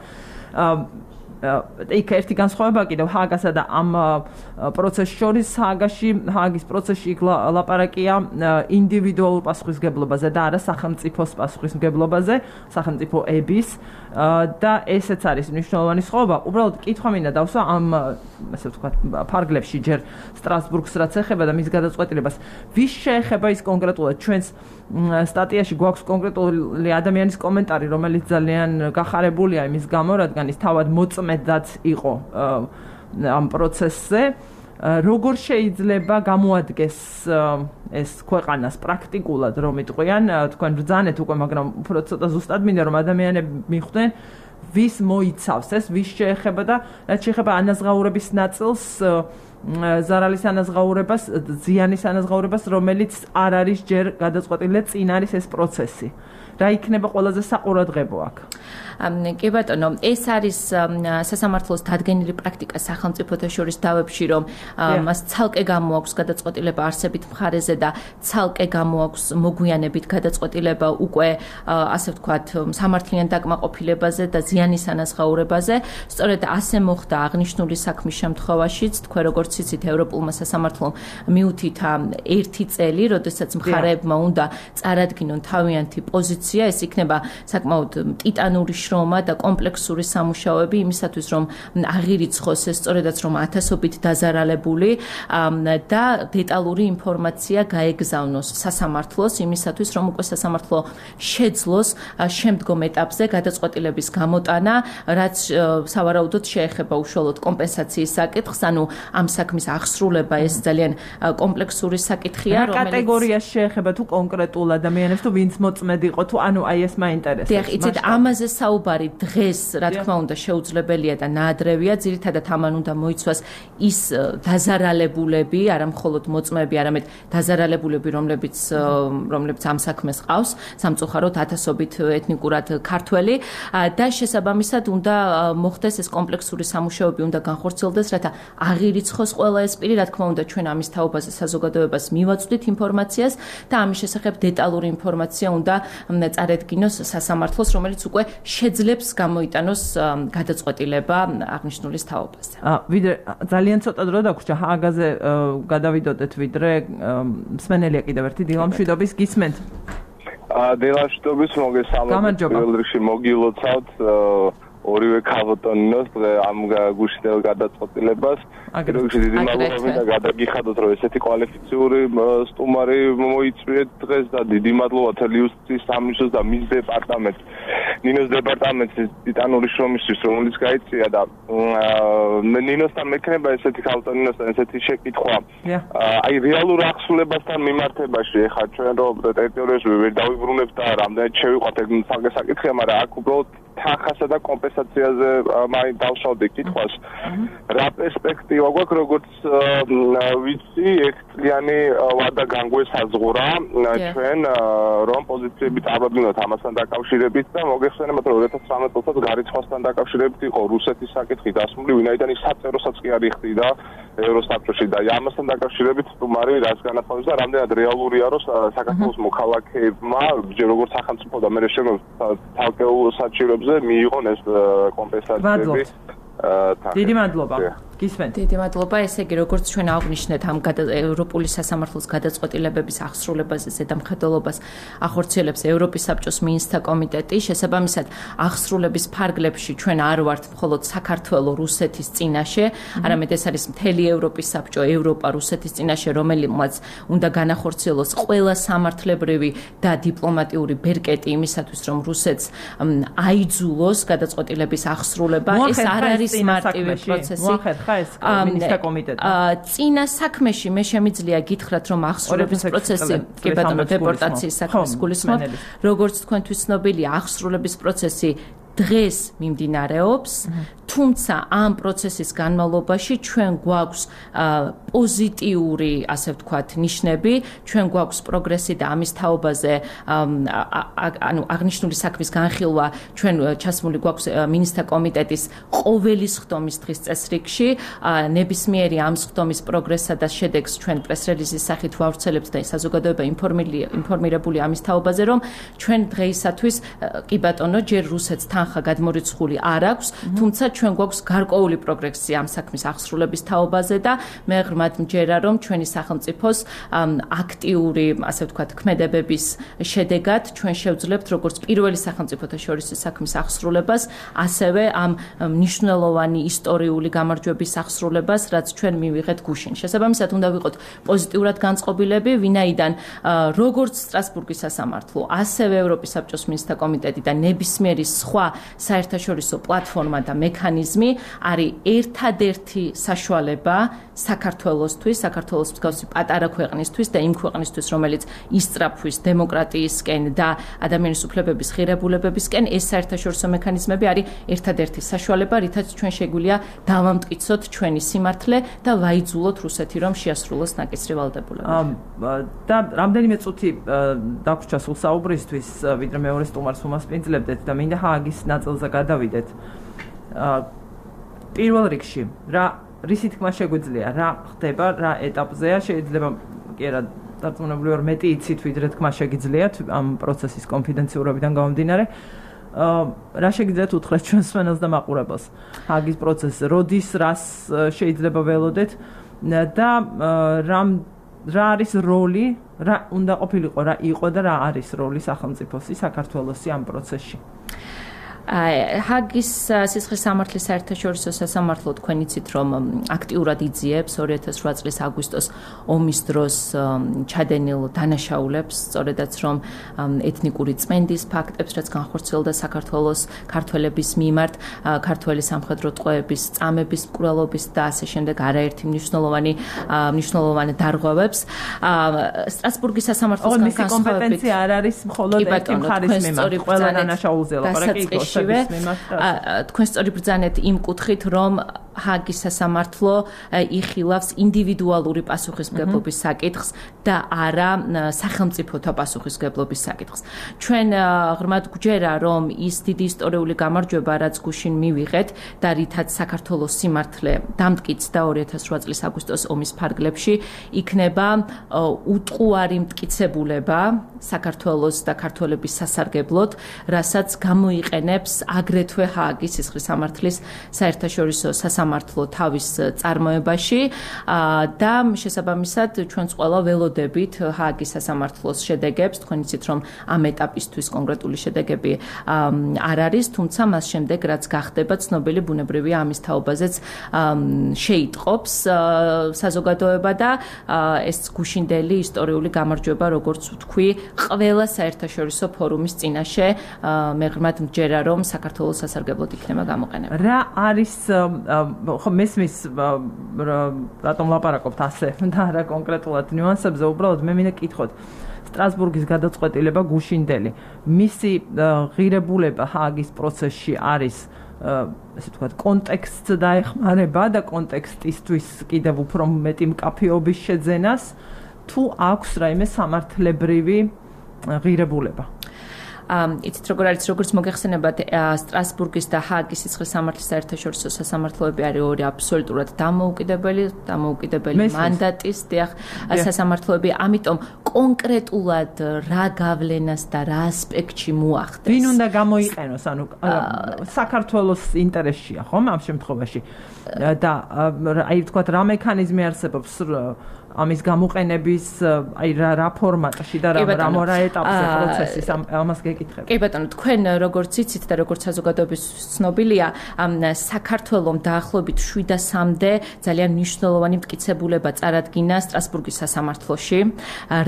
იქ ერთი განსხვავება კიდევ ჰააგასა და ამ პროცესს შორის ჰააგაში, ჰააგის პროცესში იქ ლაპარაკია ინდივიდუალურ პასუხისმგებლობაზე და არა სახელმწიფოს პასუხისმგებლობაზე, სახელმწიფოების და ესეც არის მნიშვნელოვანი სხვაობა. უბრალოდ კითხვა მინდა დავსვა ამ ასე ვთქვათ ფარგლებში ჯერ სტრასბურგს რაც ეხება და მის გადაწყვეტილებას, ვის შეეხება ის კონკრეტულად ჩვენს სტატიაში გვაქვს კონკრეტული ადამიანის კომენტარი, რომელიც ძალიან გახარებულია იმის გამო, რადგან ის თავად მოწმედაც იყო ამ პროცესზე. როგორ შეიძლება გამოადგეს ეს ქვეყანას პრაქტიკულად, რომ იტყვიან, თქვენ ბრძანეთ უკვე, მაგრამ უფრო ცოტა ზუსტად მინდა რომ ადამიანები მიხვდნენ, ვის მოიცავს ეს, ვის შეეხება და რაც შეეხება ანაზღაურების ნაწილს, ზარალის ანაზღაურებას, ზიანის ანაზღაურებას, რომელიც არ არის ჯერ გადაწყვეტილი, წინ არის ეს პროცესი. რა იქნება ყველაზე საყურადღებო აქ? კი ბატონო, ეს არის სასამართლოს დადგენილი პრაქტიკა სახელმწიფოთა შორის დავებში, რომ მას ცალკე გამოაქვს გადაწყვეტილება არსებით მხარეზე და ცალკე გამოაქვს მოგვიანებით გადაწყვეტილება უკვე ასე ვთქვათ სამართლიან დაკმაყოფილებაზე და ზიანის ანაზღაურებაზე. სწორედ ასე მოხდა აღნიშნული საქმის შემთხვევაშიც, თქვენ როგორც იცით, ევროპულმა სასამართლომ მიუთითა ერთი წელი, როდესაც მხარეებმა უნდა წარადგინონ თავიანთი პოზიცია, ეს იქნება საკმაოდ ტიტანური შრომა და კომპლექსური სამუშაოები იმისათვის, რომ აღირიცხოს ეს სწორედაც რომ ათასობით დაზარალებული და დეტალური ინფორმაცია გაეგზავნოს სასამართლოს იმისათვის, რომ უკვე სასამართლო შეძლოს შემდგომ ეტაპზე გადაწყვეტილების გამოტანა, რაც სავარაუდოდ შეეხება უშუალოდ კომპენსაციის საკითხს, ანუ ამ საქმის აღსრულება ეს ძალიან კომპლექსური საკითხია, რომელიც კატეგორიას შეეხება თუ კონკრეტულ ადამიანებს თუ ვინც მოწმედ იყო თუ ანუ აი ეს მაინტერესებს. დიახ, იცით, ამაზე საუბარი დღეს, რა თქმა უნდა, შეუძლებელია და ნაადრევია, ძირითადად ამან უნდა მოიცვას ის დაზარალებულები, არა მხოლოდ მოწმეები, არამედ დაზარალებულები, რომლებიც რომლებიც ამ საქმეს ყავს, სამწუხაროდ ათასობით ეთნიკურად ქართველი და შესაბამისად უნდა მოხდეს ეს კომპლექსური სამუშაოები, უნდა განხორციელდეს, რათა აღირიცხოს ყველა ეს პირი, რა თქმა უნდა, ჩვენ ამის თაობაზე საზოგადოებას მივაწვდით ინფორმაციას და ამის შესახებ დეტალური ინფორმაცია უნდა წარედგინოს სასამართლოს, რომელიც უკვე შეძლებს გამოიტანოს გადაწყვეტილება აღნიშნულის თაობაზე. ვიდრე ძალიან ცოტა დრო დაგვრჩა ჰააგაზე გადავიდოდეთ, ვიდრე მსმენელია კიდევ ერთი დილამშვიდობის გისმენთ. დილამშვიდობის მოგესალმებით, პირველ რიგში მოგილოცავთ ორივე ქალბატონინოს ამ გუშინდელ გადაწყვეტილებას. რიგში დიდი მადლობა და გადაგიხადოთ, რომ ესეთი კვალიფიციური სტუმარი მოიწვიეთ დღეს და დიდი მადლობა თელიუსის სამისოს და მის დეპარტამენტს, ნინოს დეპარტამენტის ტიტანური შრომისთვის, რომელიც გაიწია და ნინოსთან მექნება ესეთი ქალბატონინოსთან ესეთი შეკითხვა. აი რეალურ აღსრულებასთან მიმართებაში ეხლა ჩვენ რომ ტერიტორიაზე ვერ დავიბრუნებთ და რამდენად შევიყვათ ეგ საკითხი საკითხია, მაგრამ აქ უბრალოდ თანხასა და კომპენსაციაზე მაინც დავშავდი კითხვას. რა პერსპექტივა გვაქვს, როგორც ვიცი, ექწლიანი ვადა განგვესაზღვრა ჩვენ რომ პოზიციები წავაგდნოთ ამასთან დაკავშირებით და მოგეხსენებათ, რომ ორი ათას ცხრამეტ წელს გარიცხვასთან დაკავშირებით იყო რუსეთის საკითხი დასმული, ვინაიდან ის საწეროსაც კი არ იხდიდა ევროსაბჭოში და ამასთან დაკავშირებით სტუმარი რაც განაცხადეს და რამდენად რეალურია, რომ საქართველოს მოქალაქეებმა როგორც სახელმწიფო და მე შემოს თალკეულ საჭიროებზე მიიღონ ეს კომპენსაციები. დიდი მადლობა. გისმენთ. დიდი მადლობა. ესე იგი, როგორც ჩვენ აღვნიშნეთ ამ ევროპული სასამართლოს გადაწყვეტილებების აღსრულებაზე ზედამხედველობას ახორციელებს ევროპის საბჭოს მინისტრთა კომიტეტი. შესაბამისად, აღსრულების ფარგლებში ჩვენ არ ვართ მხოლოდ საქართველოს, რუსეთის წინაშე, არამედ ეს არის მთელი ევროპის საბჭო, ევროპა, რუსეთის წინაშე, რომელმაც უნდა განახორციელოს ყველა სამართლებრივი და დიპლომატიური ბერკეტი იმისათვის, რომ რუსეთს აიძულოს გადაწყვეტილების აღსრულება. ეს არ არის მარტივი პროცესი. მოახერხა ეს მინისტრთა კომიტეტი. წინა საქმეში მე შემიძლია გითხრათ, რომ აღსრულების პროცესი, კი ბატონო, დეპორტაციის საქმეს გულისხმობ, როგორც თქვენთვის ცნობილია, აღსრულების პროცესი დღეს მიმდინარეობს, თუმცა ამ პროცესის განმავლობაში ჩვენ გვაქვს პოზიტიური, ასე ვთქვათ, ნიშნები, ჩვენ გვაქვს პროგრესი და ამის თაობაზე, ანუ აღნიშნული საქმის განხილვა ჩვენ ჩასმული გვაქვს მინისტრთა კომიტეტის ყოველი სხდომის დღის წესრიგში, ნებისმიერი ამ სხდომის პროგრესსა და შედეგს ჩვენ პრეს-რელიზის სახით ვავრცელებთ და საზოგადოება ინფორმირებული ამის თაობაზე, რომ ჩვენ დღეისათვის, კი ბატონო, ჯერ რუსეთს თანხა გადმორიცხული არ აქვს, თუმცა ჩვენ გვაქვს გარკვეული პროგრესი ამ საქმის აღსრულების თაობაზე და მე ღრმად მჯერა, რომ ჩვენი სახელმწიფოს აქტიური, ასე ვთქვათ, ქმედებების შედეგად ჩვენ შევძლებთ როგორც პირველი სახელმწიფოთა შორის საქმის აღსრულებას, ასევე ამ მნიშვნელოვანი ისტორიული გამარჯვების აღსრულებას, რაც ჩვენ მივიღეთ გუშინ. შესაბამისად, უნდა ვიყოთ პოზიტიურად განწყობილები, ვინაიდან როგორც სტრასბურგის სასამართლო, ასევე ევროპის საბჭოს მინისტრთა კომიტეტი და ნებისმიერი სხვა საერთაშორისო პლატფორმა და მექანიზმი არის ერთადერთი საშუალება საქართველოსთვის, საქართველოს მსგავსი პატარა ქვეყნისთვის და იმ ქვეყნისთვის, რომელიც ისწრაფვის დემოკრატიისკენ და ადამიანის უფლებების ღირებულებებისკენ, ეს საერთაშორისო მექანიზმები არის ერთადერთი საშუალება, რითაც ჩვენ შეგვიძლია დავამტკიცოთ ჩვენი სიმართლე და ვაიძულოთ რუსეთი, რომ შეასრულოს ნაკისრი ვალდებულება. და რამდენიმე წუთი დაგვრჩა სულ საუბრისთვის, ვიდრე მეორე სტუმარს უმასპინძლებდეთ და მინდა ჰააგის ნაწილზე გადავიდეთ. პირველ რიგში, რა რისი თქმა შეგვიძლია, რა ხდება, რა ეტაპზეა, შეიძლება კი არა, დარწმუნებული ვარ, მეტი იცით, ვიდრე თქმა შეგიძლიათ ამ პროცესის კონფიდენციურობიდან გამომდინარე. რა შეგიძლიათ უთხრათ ჩვენს მსმენელს და მაყურებელს ჰააგის პროცესზე, როდის, რას შეიძლება ველოდეთ და რა რა არის როლი, რა უნდა ყოფილიყო, რა იყო და რა არის როლი სახელმწიფოსი, საქართველოსი ამ პროცესში? ჰააგის სისხლის სამართლის საერთაშორისო სასამართლო თქვენ იცით, რომ აქტიურად იძიებს ორი ათას რვა წლის აგვისტოს ომის დროს ჩადენილ დანაშაულებს, სწორედაც რომ ეთნიკური წმენდის ფაქტებს, რაც განხორციელდა საქართველოს ქართველების მიმართ, ქართველი სამხედრო ტყვეების, წამების, მკვლელობის და ასე შემდეგ არაერთი მნიშვნელოვანი მნიშვნელოვანი დარღვევებს. სტრასბურგის სასამართლოს განსხვავებით კომპეტენცია არ არის მხოლოდ ერთი მხარის მიმართ, ყველა დანაშაულზე ლაპარაკი იყო. თქვენ სწორი ბრძანეთ იმ კუთხით, რომ ჰააგის სასამართლო იხილავს ინდივიდუალური პასუხისმგებლობის საკითხს და არა სახელმწიფოთა პასუხისმგებლობის საკითხს. ჩვენ ღრმად გვჯერა, რომ ის დიდი ისტორიული გამარჯვება, რაც გუშინ მივიღეთ და რითაც საქართველოს სიმართლე დამტკიცდა ორი ათას რვა წლის აგვისტოს ომის ფარგლებში, იქნება უტყუარი მტკიცებულება საქართველოს და ქართველების სასარგებლოდ, რასაც გამოიყენებს აგრეთვე ჰააგის სისხლის სამართლის საერთაშორისო სასამართლო თავის წარმოებაში და შესაბამისად ჩვენც ყველა ველოდებით ჰააგის სასამართლოს შედეგებს. თქვენ იცით, რომ ამ ეტაპისთვის კონკრეტული შედეგები არ არის, თუმცა მას შემდეგ რაც გახდება ცნობილი, ბუნებრივია ამის თაობაზეც შეიტყობს საზოგადოება და ეს გუშინდელი ისტორიული გამარჯვება, როგორც ვთქვი, ყველა საერთაშორისო ფორუმის წინაშე მე ღრმად მჯერა, რომ საქართველოს სასარგებლოდ იქნება გამოყენება. რა არის ხო მესმის რატომ ლაპარაკობთ ასე და რა კონკრეტულად ნიუანსებზე, უბრალოდ მე მინდა კითხოთ. სტრასბურგის გადაწყვეტილება გუშინდელი, მისი ღირებულება ჰააგის პროცესში არის ესე ვთქვათ, კონტექსტს დაეხმარება და კონტექსტისთვის კიდევ უფრო მეტი მკაფიობის შეძენას, თუ აქვს რაიმე სამართლებრივი ღირებულება? იცით როგორ არის როგორც მოგეხსენებათ სტრასბურგის და ჰააგის სიცხლის სამართლის საერთაშორისო სასამართლოები არის ორი აბსოლუტურად დამოუკიდებელი დამოუკიდებელი მანდატის დიახ სასამართლოები ამიტომ კონკრეტულად რა გავლენას და რა ასპექტში მოახდენს ვინ უნდა გამოიყენოს ანუ საქართველოს ინტერესშია ხომ ამ შემთხვევაში და აი თქვა რა მექანიზმი არსებობს ამის გამოყენების აი რა რა ფორმატში და რა რა ეტაპზე პროცესის ამას გეკითხები. კი ბატონო, თქვენ როგორც იცით და როგორც საზოგადოების ცნობილია, საქართველოს დაახლოებით შვიდასამდე ძალიან მნიშვნელოვანი მტკიცებულება წარადგინა სტრასბურგის სასამართლოში,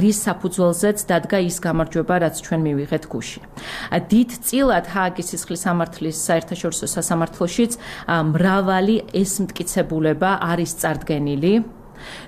რის საფუძველზეც დადგა ის გამარჯვება, რაც ჩვენ მივიღეთ გუშინ. დიდწილად ჰააგის სიცხლის სამართლის საერთაშორისო სასამართლოშიც მრავალი ეს მტკიცებულება არის წარდგენილი.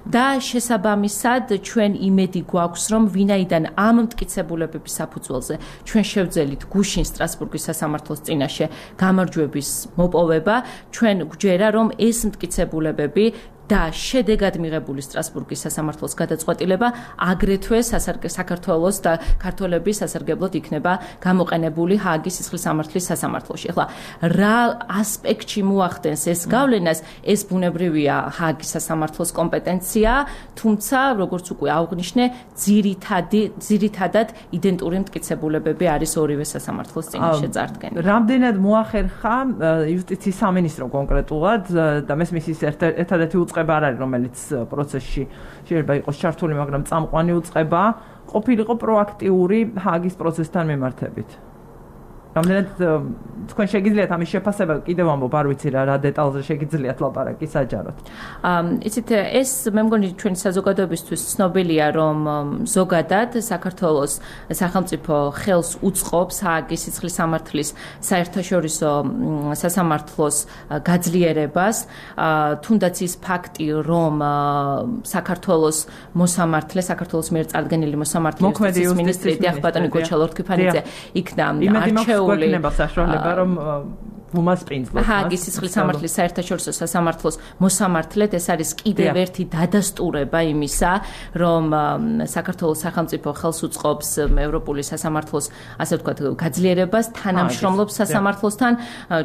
და შესაბამისად ჩვენ იმედი გვაქვს რომ ვინაიდან ამ მტკიცებულებების საფუძველზე ჩვენ შევძელით გუშინ სტრასბურგის სასამართლოს წინაშე გამარჯვების მოპოვება ჩვენ გვჯერა რომ ეს მტკიცებულებები და შედეგად მიღებული სტრასბურგის სასამართლოს გადაწყვეტილება აგრეთვე საქართველოს და ქართველების სასარგებლოდ იქნება გამოყენებული ჰააგის სიცხლის სამართლის სასამართლოში. ახლა რა ასპექტში მოახდენს ეს გავლენას, ეს ბუნებრივია ჰააგის სასამართლოს კომპეტენცია, თუმცა როგორც უკვე აღვნიშნე, ძირითადი ძირითადად იდენტური მტკიცებულებები არის ორივე სასამართლოს წინაშე წარდგენილი. რამდენად მოახერხა იუსტიციის სამინისტრო კონკრეტულად და მესმის ის ერთადერთი უწყება არ არის რომელიც პროცესში შეიძლება იყოს ჩართული, მაგრამ წამყვანი უწყება ყოფილიყო პროაქტიული ჰააგის პროცესთან მიმართებით. რამდენად თქვენ შეგიძლიათ ამის შეფასება კიდევ ამბობ არ ვიცი რა რა დეტალზე შეგიძლიათ ლაპარაკი საჯაროდ. იცით ეს მე მგონი ჩვენი საზოგადოებისთვის ცნობილია რომ ზოგადად საქართველოს სახელმწიფო ხელს უწყობს ჰააგის სიცხლის სამართლის საერთაშორისო სასამართლოს გაძლიერებას, თუნდაც ის ფაქტი რომ საქართველოს მოსამართლე საქართველოს მიერ წარდგენილი მოსამართლე იუსტიციის მინისტრი დიახ ბატონი გოჩა ლორთქიფანიძე იქნა არჩეული გვექნება საშუალება რომ უმასპინძლოს ჰააგის სიცხლის სამართლის საერთაშორისო სასამართლოს მოსამართლედ ეს არის კიდევ ერთი დადასტურება იმისა რომ საქართველოს სახელმწიფო ხელს უწყობს ევროპული სასამართლოს ასე ვთქვათ გაძლიერებას თანამშრომლობს სასამართლოსთან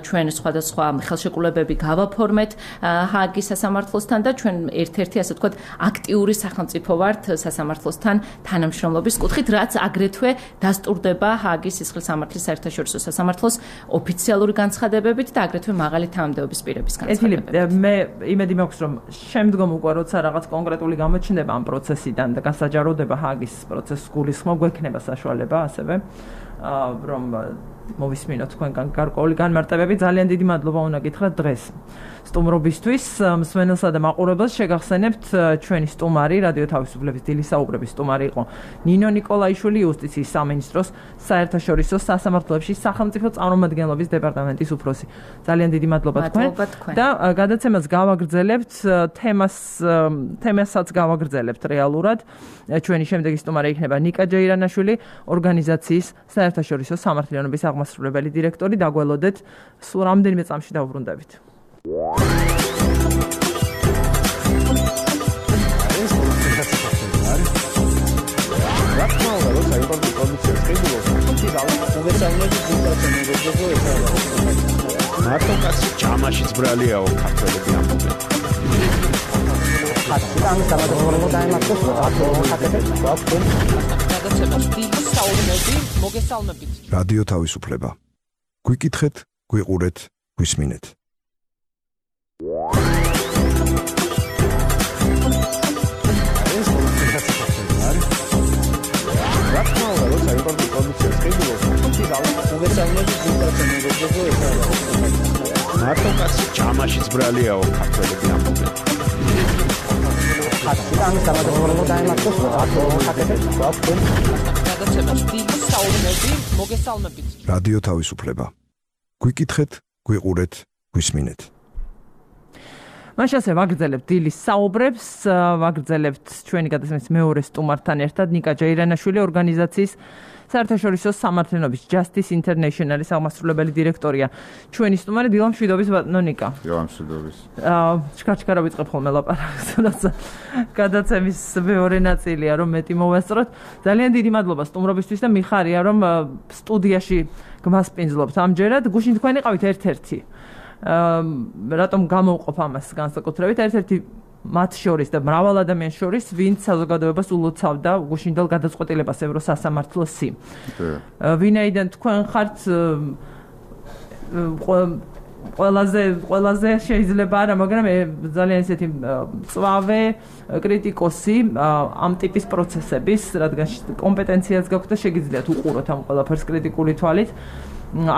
ჩვენ სხვადასხვა ხელშეკრულებები გავაფორმეთ ჰააგის სასამართლოსთან და ჩვენ ერთ-ერთი ასე ვთქვათ აქტიური სახელმწიფო ვართ სასამართლოსთან თანამშრომლობის კუთხით რაც აგრეთვე დასტურდება ჰააგის სიცხლის სამართლის საერთაშორისო სასამართლოს ოფიციალური განცხადება და აგრეთვე მაღალი თანამდებობის პირების განცხადებები. მე იმედი მაქვს რომ შემდგომ უკვე როცა რაღაც კონკრეტული გამოჩნდება ამ პროცესიდან და გასაჯაროდება ჰააგის პროცესს გულისხმობ გვექნება საშუალება ასევე რომ მოვისმინოთ თქვენგან გარკვეული განმარტებები. ძალიან დიდი მადლობა უნდა გითხრათ დღეს სტუმრობისთვის. მსმენელსა და მაყურებელს შეგახსენებთ ჩვენი სტუმარი რადიო თავისუფლების დილის საუბრების სტუმარი იყო ნინო ნიკოლაიშვილი იუსტიციის სამინისტროს საერთაშორისო სასამართლოებში სახელმწიფო წარმომადგენლობის დეპარტამენტის უფროსი. ძალიან დიდი მადლობა თქვენ და გადაცემას გავაგრძელებთ თემას თემასაც გავაგრძელებთ რეალურად. ჩვენი შემდეგი სტუმარი იქნება ნიკა ჯეირანაშვილი ორგანიზაციის საერთაშორისო სამართლიანობის აღმასრულებელი დირექტორი. დაგველოდეთ სულ რამდენიმე წამში დავბრუნდებით. მარტო კაცი ჯამაშიც ბრალიაო ქართველები ამბობენ. ხატი გამოდაიმართოს აკეთებს გვაქვს გადაცემას დიდი საუბნები მოგესალმებით. რადიო თავისუფლება. გვიკითხეთ, გვიყურეთ, გვისმინეთ. მარტო კაცი ჯამაშიც ბრალიაო ქართველები ამბობენ. ხატი გამოდაიმართოს აკეთებს გვაქვს გადაცემას დიდი საუბნები მოგესალმებით. რადიო თავისუფლება. გვიკითხეთ, გვიყურეთ, გვისმინეთ. მაშ ასე ვაგრძელებთ დილის საუბრებს, ვაგრძელებთ ჩვენი გადაცემის მეორე სტუმართან ერთად ნიკა ჯეირანაშვილი ორგანიზაციის საერთაშორისო სამართლიანობის Justice International-ის აღმასრულებელი დირექტორია. ჩვენი სტუმარი დილა მშვიდობის ბატონო ნიკა. დილა მშვიდობის. აა ჩქარჩქარა ვიწყებ ხოლმე ლაპარაკს, როცა გადაცემის მეორე ნაწილია რომ მეტი მოვასწროთ. ძალიან დიდი მადლობა სტუმრობისთვის და მიხარია რომ სტუდიაში გმასპინძლობთ ამჯერად. გუშინ თქვენ იყავით ერთ-ერთი. აა რატომ გამოვყოფ ამას განსაკუთრებით ერთ-ერთი მათ შორის და მრავალ ადამიანს შორის ვინც საზოგადოებას ულოცავდა გუშინდელ გადაწყვეტილებას ევროსასამართლოსი. ვინაიდან თქვენ ხართ ყველაზე ყველაზე შეიძლება არა, მაგრამ ძალიან ესეთი მწვავე კრიტიკოსი ამ ტიპის პროცესების, რადგან კომპეტენციაც გაქვთ და შეგიძლიათ უყუროთ ამ ყველაფერს კრიტიკული თვალით,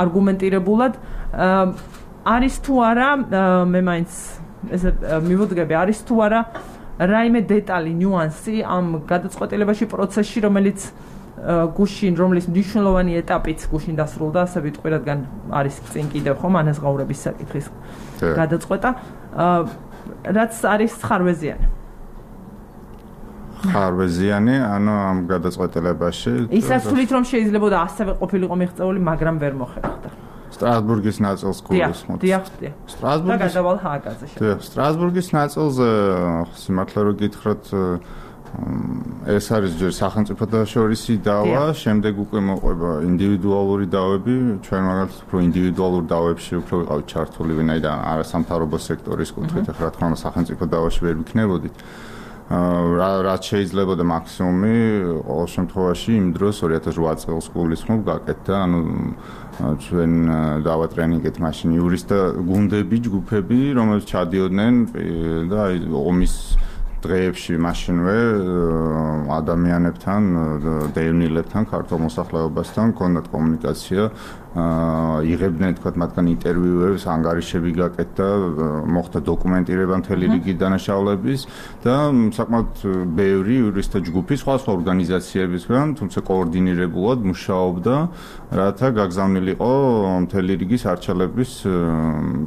არგუმენტირებულად. არის თუ არა მე მაინც ესე მივუდგები არის თუ არა რაიმე დეტალი ნიუანსი ამ გადაწყვეტილებაში პროცესში რომელიც გუშინ რომლის მნიშვნელოვანი ეტაპიც გუშინ დასრულდა ასე ვიტყვი რადგან არის წინ კიდევ ხომ ანაზღაურების საკითხის გადაწყვეტა რაც არის ხარვეზიანი ხარვეზიანი ანუ ამ გადაწყვეტილებაში ისაც თulit რომ შეიძლება ასევე ყოფილიყო მიღწეული მაგრამ ვერ მოხერხდა სტრასბურგის ნაწილს გულისხმობ. დიახ, დიახ. სტრასბურგის და გადავალ ჰააგაზე. დიახ, სტრასბურგის ნაწილზე სიმართლე რო გითხრათ ეს არის ჯერ სახელმწიფოთა შორისი დავა, შემდეგ უკვე მოყვება ინდივიდუალური დავები, ჩვენ მაგალითად უფრო ინდივიდუალურ დავებში უფრო ვიყავით ჩართული, ვინაიდან არასამთავრობო სექტორის კუთხით, ახლა რა თქმა უნდა სახელმწიფო დავაში ვერ ვიქნებოდით. რაც შეიძლება და მაქსიმუმი ყოველ შემთხვევაში იმ დროს ორი ათას ოთხ წელს გულისხმობ გაკეთდა, ანუ ჩვენ დავა ტრენინგეთ მაშინ იურისტთა გუნდები, ჯგუფები, რომელთაც ჩადიოდნენ და აი ომის დღეებში მაშინვე ადამიანებთან, დევნილებთან, ქართულ მოსახლეობასთან ჰქონდათ კომუნიკაცია, იღებდნენ თქვათ მათგან ინტერვიუებს, ანგარიშები გაკეთდა, მოხდა დოკუმენტირება მთელი რიგი დანაშაულების და საკმაოდ ბევრი იურისტთა ჯგუფი სხვა სხვა ორგანიზაციებისგან, თუმცა კოორდინირებულად მუშაობდა, რათა გაგზავნილიყო მთელი რიგი სარჩელების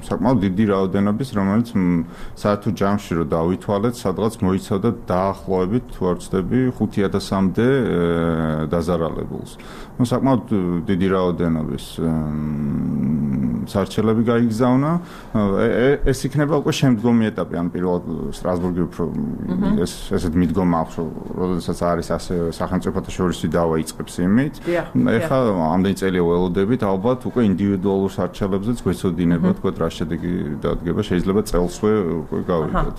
საკმაოდ დიდი რაოდენობის, რომელიც საერთო ჯამში რო დავითვალეთ, სადღაც მოიცავდა დაახლოებით თუ არ ვცდები ხუთი ათასამდე დაზარალებულს. ნუ საკმაოდ დიდი რაოდენობის სარჩელები გაიგზავნა. ეს იქნება უკვე შემდგომი ეტაპი, ან პირველად სტრასბურგი უფრო ეს ესეთ მიდგომა აქვს, როდესაც არის ასე სახელმწიფოთა შორისი დავა იწყებს იმით. ეხლა ამდენი წელია ველოდებით, ალბათ უკვე ინდივიდუალურ სარჩელებზეც გვეცოდინება, თქვათ რა შედეგი დადგება, შეიძლება წელსვე უკვე გავიგოთ.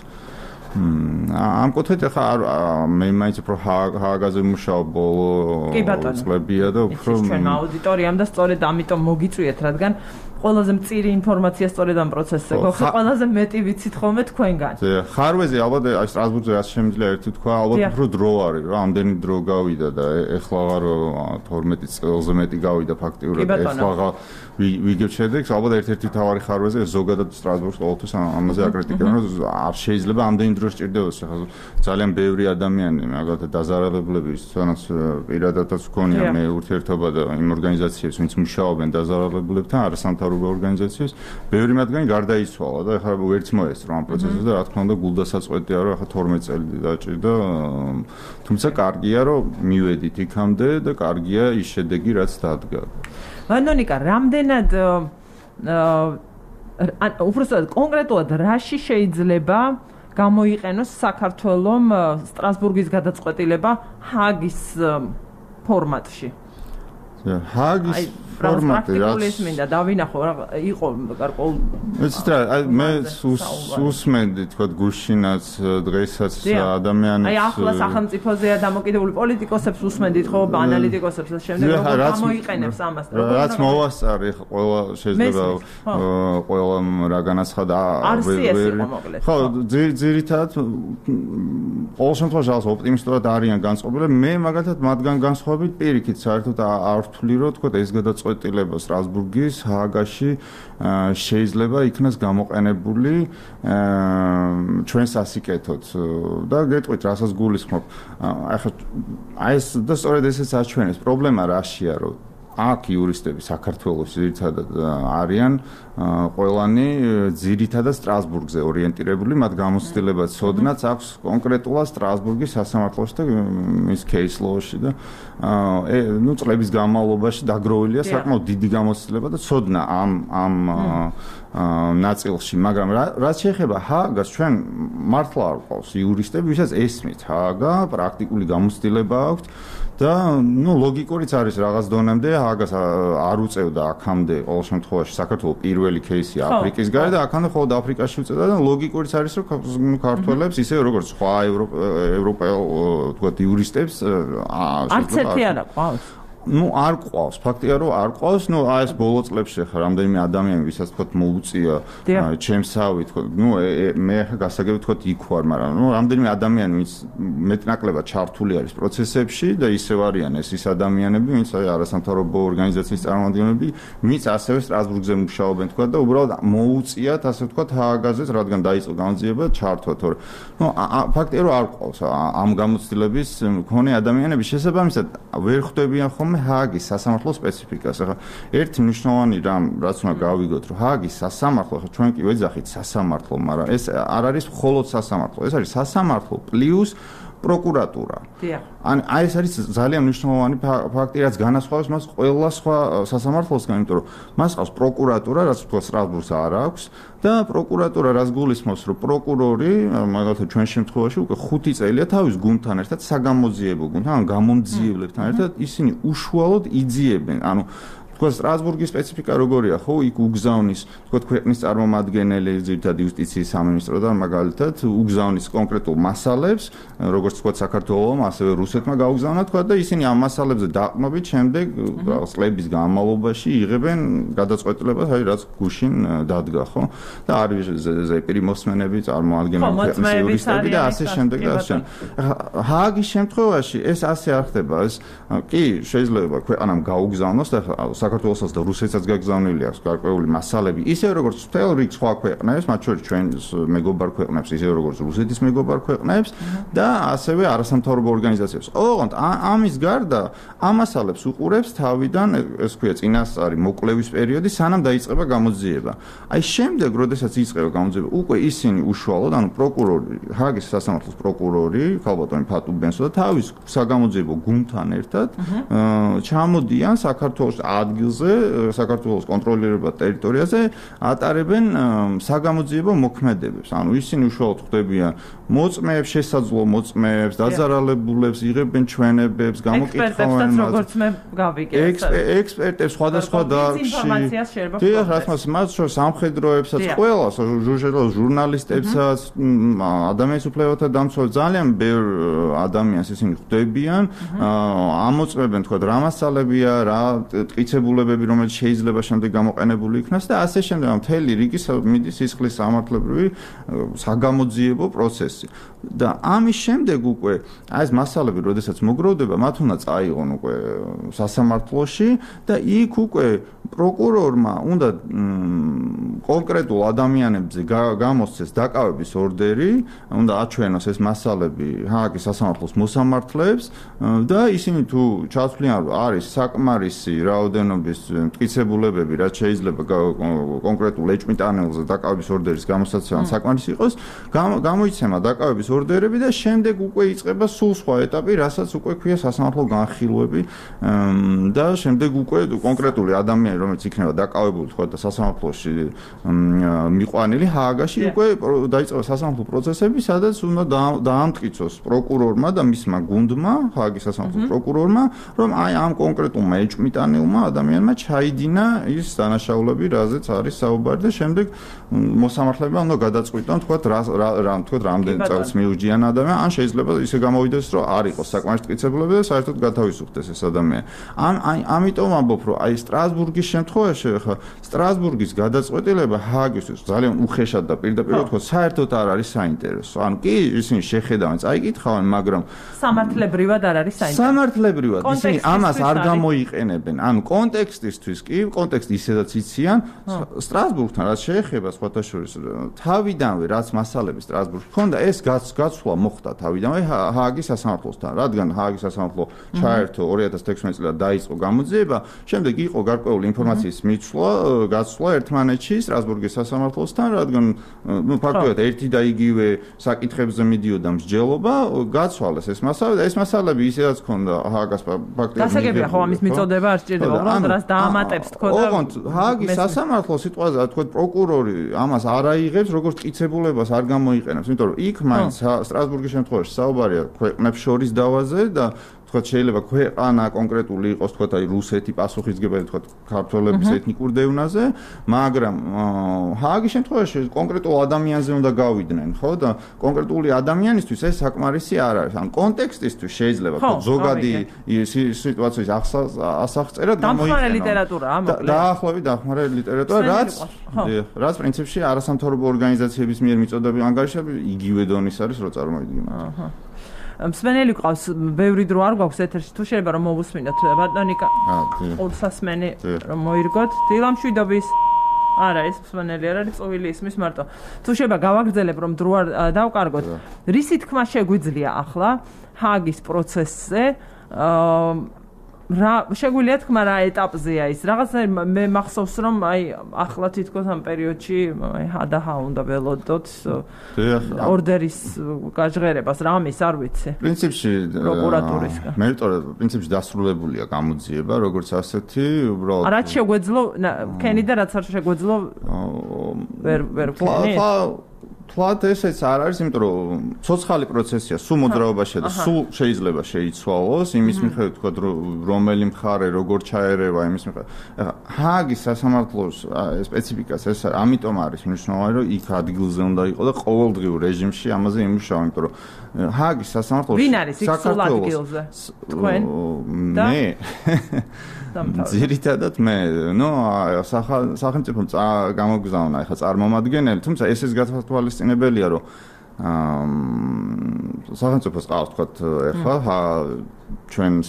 ამ კუთხით ახლა მე მაინც უფრო ჰააგაზე ვმუშაობ ბოლო წლებია და უფრო ჩვენ აუდიტორიამ და სწორედ ამიტომ მოგიწვიეთ, რადგან ყველაზე მწირი ინფორმაცია სწორედ ამ პროცესზე გვაქვს, ყველაზე მეტი ვიცით ხოლმე თქვენგან. ხარვეზე ალბათ აი სტრასბურგზე რაც შემიძლია ერთი თქვა, ალბათ უფრო დრო არის, რა, ამდენი დრო გავიდა და ეხლა აღარ თორმეტი წელზე მეტი გავიდა ფაქტიურად, ეხლა აღარ ვიგებ შედეგს, ალბათ ერთ-ერთი თავარი ხარვეზე ზოგადად სტრასბურგს ყოველთვის ამაზე აკრიტიკებენ, რომ არ შეიძლება ამდენი დრო სჭირდებოდეს, ახლა ძალიან ბევრი ადამიანი, მაგალითად დაზარალებლები, სადაც პირადადაც გქონია მე ურთიერთობა და იმ ორგანიზაციებს, ვინც მუშაობენ დაზარალებლებთან, არასამთავრობო ორგანიზაციებს, ბევრი მათგანი გარდაიცვალა და ახლა ვერც მოესწრო ამ პროცესზე და რა თქმა უნდა გულდასაწყვეტია, რომ ახლა თორმეტი წელი დაჭირდა, თუმცა კარგია, რომ მივედით იქამდე და კარგია ის შედეგი, რაც დადგა. ვანონიკა, რამდენად ან უბრალოდ კონკრეტულად რაში შეიძლება გამოიყენოს საქართველოს სტრასბურგის გადაწყვეტილება ჰააგის ფორმატში? ჰააგის ფორმატი რაც პრაქტიკული მინდა დავინახო რა იყო გარკვეულ მეც რა მე უსმენდი თქვა გუშინაც დღესაც ადამიანებს აი ახლა სახელმწიფოზეა დამოკიდებული პოლიტიკოსებს უსმენდით ხო ანალიტიკოსებს და შემდეგ როგორ გამოიყენებს ამას რაც მოვასწარი ყველა შეიძლება ყველა რა განაცხადა ხო ძირითადად ყოველ შემთხვევაში ოპტიმისტურად არიან განწყობილები მე მაგალითად მათგან განსხვავებით პირიქით საერთოდ არ ვთვლი რომ თქვა ეს გადაწყვეტილება სტრასბურგის ჰააგაში შეიძლება იქნას გამოყენებული ჩვენ სასიკეთოდ და გეტყვით რასაც გულისხმობ ახლა აი ეს და სწორედ ესეც აჩვენებს პრობლემა რაშია რომ აქ იურისტები საქართველოს ძირითადად არიან ყველანი ძირითადად სტრასბურგზე ორიენტირებული, მათ გამოცდილება ცოდნაც აქვს კონკრეტულად სტრასბურგის სასამართლოში და მის case law-ში და ნუ წლების განმავლობაში დაგროვილია საკმაოდ დიდი გამოცდილება და ცოდნა ამ ამ ნაწილში, მაგრამ რაც შეეხება ჰააგას, ჩვენ მართლა არ ყავს იურისტები, ვისაც ესმით ჰააგა, პრაქტიკული გამოცდილება აქვს და ნუ ლოგიკურიც არის რაღაც დონემდე ჰააგას არ უწევდა აქამდე ყოველ შემთხვევაში საქართველოს პირველი кейსი აფრიკის გარეთ და აქამდე მხოლოდ აფრიკაში უწევდა და ლოგიკურიც არის რომ ქართველებს ისე როგორც სხვა ევროპელ თქვათ იურისტებს არც ერთი არ ყავს ну არ ყავს ფაქტია რომ არ ყავს ну აი ეს ბოლო წლებში ხა რამდენიმე ადამიანი ვისაც თქო მოუწია ჩემსავი თქო ну მე ხა გასაგები თქო იქ ვარ მაგრამ ну რამდენიმე ადამიანი ვინც მეტნაკლებად ჩართული არის პროცესებში და ისევ არიან ეს ის ადამიანები ვინც აი არასამთავრობო ორგანიზაციის წარმომადგენლები ვინც ასევე სტრასბურგზე მუშაობენ თქო და უბრალოდ მოუწიათ ასე თქო ჰააგაზეც რადგან დაიწყო განძიება ჩართვა თორე ну ფაქტია რომ არ ყავს ამ გამოცდილების მქონე ადამიანები შესაბამისად ვერ ხვდებიან ხომ ჰააგის სასამართლოს სპეციფიკას. ახლა ერთი მნიშვნელოვანი რამ რაც უნდა გავიგოთ, რომ ჰააგის სასამართლო, ახლა ჩვენ კი ვეძახით სასამართლო, მაგრამ ეს არ არის მხოლოდ სასამართლო, ეს არის სასამართლო პლუს პროკურატურა. ან აი ეს არის ძალიან მნიშვნელოვანი ფაქტი, რაც განასხვავებს მას ყველა სხვა სასამართლოსგან, იმიტომ რომ მას ყავს პროკურატურა, რაც თქვა სტრასბურგს არ აქვს და პროკურატურა რაც გულისხმობს, რომ პროკურორი, მაგალითად ჩვენ შემთხვევაში უკვე ხუთი წელია თავის გუნდთან ერთად საგამოძიებო გუნდთან, ან გამომძიებლებთან ერთად ისინი უშუალოდ იძიებენ, ანუ თქვა სტრასბურგის სპეციფიკა როგორია, ხო, იქ უგზავნის, თქვა ქვეყნის წარმომადგენელი, ძირითადად იუსტიციის სამინისტრო და მაგალითად უგზავნის კონკრეტულ მასალებს, როგორც თქვა საქართველოს, ასევე რუსეთმა გაუგზავნა, თქვა და ისინი ამ მასალებზე დაყრდნობით შემდეგ წლების განმავლობაში იღებენ გადაწყვეტილებას, აი რაც გუშინ დადგა, ხო? და არის ზეპირი მოსმენები, წარმოადგენენ ქვეყნის იურისტები და ასე შემდეგ და ასე შემდეგ. ჰააგის შემთხვევაში ეს ასე არ ხდება, ეს კი შეიძლება ქვეყანამ გაუგზავნოს და საქართველოსაც და რუსეთსაც გაგზავნილი აქვს გარკვეული მასალები, ისე როგორც მთელ რიგ სხვა ქვეყნებს, მათ შორის ჩვენს მეგობარ ქვეყნებს, ისე როგორც რუსეთის მეგობარ ქვეყნებს და ასევე არასამთავრობო ორგანიზაციებს. ოღონდ ამის გარდა ამ მასალებს უყურებს თავიდან, ეს ქვია წინასწარი მოკლევის პერიოდი, სანამ დაიწყება გამოძიება. აი შემდეგ, როდესაც იწყება გამოძიება, უკვე ისინი უშუალოდ, ანუ პროკურორი, ჰააგის სასამართლოს პროკურორი, ქალბატონი ფატუ ბენსო და თავის საგამოძიებო გუნდთან ერთად ჩამოდიან საქართველოს ადგილზე, საქართველოს კონტროლირებად ტერიტორიაზე ატარებენ საგამოძიებო მოქმედებებს. ანუ ისინი უშუალოდ ხდებიან მოწმეებს, შესაძლო მოწმეებს, დაზარალებულებს, იღებენ ჩვენებებს, გამოკითხავენ მას. როგორც მე გავიგე. ექსპერტებს სხვადასხვა დარგში. დიახ, რა თქმა უნდა, მათ შორის სამხედროებსაც, ყველას, ჟურნალისტებსაც, ადამიანის უფლებათა დამცველებს ძალიან ბევრ ადამიანს ისინი ხდებიან, ამოწმებენ თქვა რა მასალებია, რა ტყიცებულებები, რომელიც შეიძლება შემდეგ გამოყენებული იქნას და ასე შემდეგ მთელი რიგი მიდის სისხლის სამართლებრივი საგამოძიებო პროცესი. და ამის შემდეგ უკვე აი ეს მასალები, როდესაც მოგროვდება, მათ უნდა წაიღონ უკვე სასამართლოში და იქ უკვე პროკურორმა უნდა კონკრეტულ ადამიანებზე გამოსცეს დაკავების ორდერი, უნდა აჩვენოს ეს მასალები ჰააგის სასამართლოს მოსამართლეებს და ისინი თუ ჩაცვლიან, რომ არის საკმარისი რაოდენობის მტკიცებულებები, რაც შეიძლება კონკრეტულ ეჭვმიტანელზე დაკავების ორდერის გამოსაცემად საკმარისი იყოს, გამოიცემა დაკავების ორდერები და შემდეგ უკვე იწყება სულ სხვა ეტაპი, რასაც უკვე ქვია სასამართლო განხილვები და შემდეგ უკვე კონკრეტული ადამიანი, რომელიც იქნება დაკავებული თქვა და სასამართლოში მიყვანილი ჰააგაში, უკვე დაიწყება სასამართლო პროცესები, სადაც უნდა დაამტკიცოს პროკურორმა და მისმა გუნდმა, ჰააგის სასამართლოს პროკურორმა, რომ აი ამ კონკრეტულმა ეჭვმიტანელმა ადამიანმა ჩაიდინა ის დანაშაულები, რაზეც არის საუბარი და შემდეგ მოსამართლებმა უნდა გადაწყვიტონ თქვა რა თქვა რამდენ წელს მიუჯიან ადამიან, ან შეიძლება ისე გამოვიდეს, რომ არ იყოს საკმარისი მტკიცებულები და საერთოდ გათავისუფლდეს ეს ადამიანი. ან აი ამიტომ ამბობ, რომ აი სტრასბურგის შემთხვევაში ხა სტრასბურგის გადაწყვეტილება შეეხება ჰააგისთვის ძალიან უხეშად და პირდაპირ ვთქვა, საერთოდ არ არის საინტერესო. ანუ კი ისინი შეხედავენ, წაიკითხავენ, მაგრამ სამართლებრივად არ არის საინტერესო. სამართლებრივად ისინი ამას არ გამოიყენებენ. ანუ კონტექსტისთვის კი, კონტექსტი ისედაც იციან, სტრასბურგთან რაც შეეხება სხვათა შორის თავიდანვე რაც მასალები სტრასბურგში ჰქონდა, ეს გაცვლა მოხდა თავიდანვე ჰააგის სასამართლოსთან, რადგან ჰააგის სასამართლო ჩაერთო ორი ათას თექვსმეტ წელს დაიწყო გამოძიება, შემდეგ იყო გარკვეული ინფორმაციის მიცვლა, გაცვლა ერთმანეთში სტრასბურგის სასამართლოსთან, რადგან ნუ ფაქტობრივად ერთი და იგივე საკითხებზე მიდიოდა მსჯელობა, გაცვალეს ეს მასალა და ეს მასალები ისედაც ჰქონდა ჰააგას ფაქტობრივად. გასაგებია ხო ამის მიწოდება არ სჭირდება, უბრალოდ რას დაამატებს თქო და ოღონდ ჰააგის სასამართლო სიტყვაზე თქო პროკურორი ამას არ აიღებს, როგორც მტკიცებულებას არ გამოიყენებს, იმიტომ რომ იქ მაინც სტრასბურგის შემთხვევაში საუბარია ქვეყნებს შორის დავაზე და თქვათ შეიძლება ქვეყანა კონკრეტული იყოს თქვათ აი რუსეთი პასუხისგებელი თქვათ ქართველების ეთნიკურ დევნაზე, მაგრამ ჰააგის შემთხვევაში კონკრეტულ ადამიანზე უნდა გავიდნენ, ხო და კონკრეტული ადამიანისთვის ეს საკმარისი არ არის. ან კონტექსტისთვის შეიძლება თქვათ ზოგადი სიტუაციის ასახწერად გამოიყენო. დამხმარე ლიტერატურაა მოკლედ. დაახლოებით დამხმარე ლიტერატურა, რაც რაც პრინციპში არასამთავრობო ორგანიზაციების მიერ მიწოდებული ანგარიშები იგივე დონის არის, რო წარმოვიდგინოთ. აჰა. მსმენელი ყავს, ბევრი დრო არ გვაქვს ეთერში, თუ შეიძლება რომ მოვუსმინოთ ბატონიკა. ყურსასმენი რომ მოირგოთ. დილამშვიდობის. არა, ეს მსმენელი არ არის, წვილი ისმის მარტო. თუ შეიძლება გავაგრძელებ რომ დრო არ დავკარგოთ. რისი თქმა შეგვიძლია ახლა ჰააგის პროცესზე? აა რა შეგვიძლია თქმა რა ეტაპზეა ის? რაღაცა მე მახსოვს რომ აი ახლა თითქოს ამ პერიოდში აი ჰადაჰა უნდა ველოდოთ ორდერის გაჟღერებას რამის არ ვიცი. პრინციპში პროკურატურისგან. მე ვიტყოდი პრინციპში დასრულებულია გამოძიება, როგორც ასეთი, უბრალოდ რაც შეგვეძლო ქენი და რაც არ შეგვეძლო ვერ ვერ ქენი. თვათ ესეც არ არის, იმიტომ რომ ცოცხალი პროცესია, სულ მოძრაობაში და სულ შეიძლება შეიცვალოს, იმის მიხედვით თქვა რომელი მხარე როგორ ჩაერევა იმის მიხედვით. ეხლა ჰააგის სასამართლოს სპეციფიკას ეს ამიტომ არის მნიშვნელოვანი, რომ იქ ადგილზე უნდა იყოს და ყოველდღიურ რეჟიმში ამაზე იმუშავა, იმიტომ რომ ჰააგის სასამართლოში ვინ არის იქ სულ ადგილზე? თქვენ? მე ძირითადად მე, ნუ სახელმწიფო გამოგზავნა ახლა წარმომადგენელი, თუმცა ესეც გათვალისწინებელია, რომ აა სახელმწიფოს ყავს თქვა ახლა ჩვენს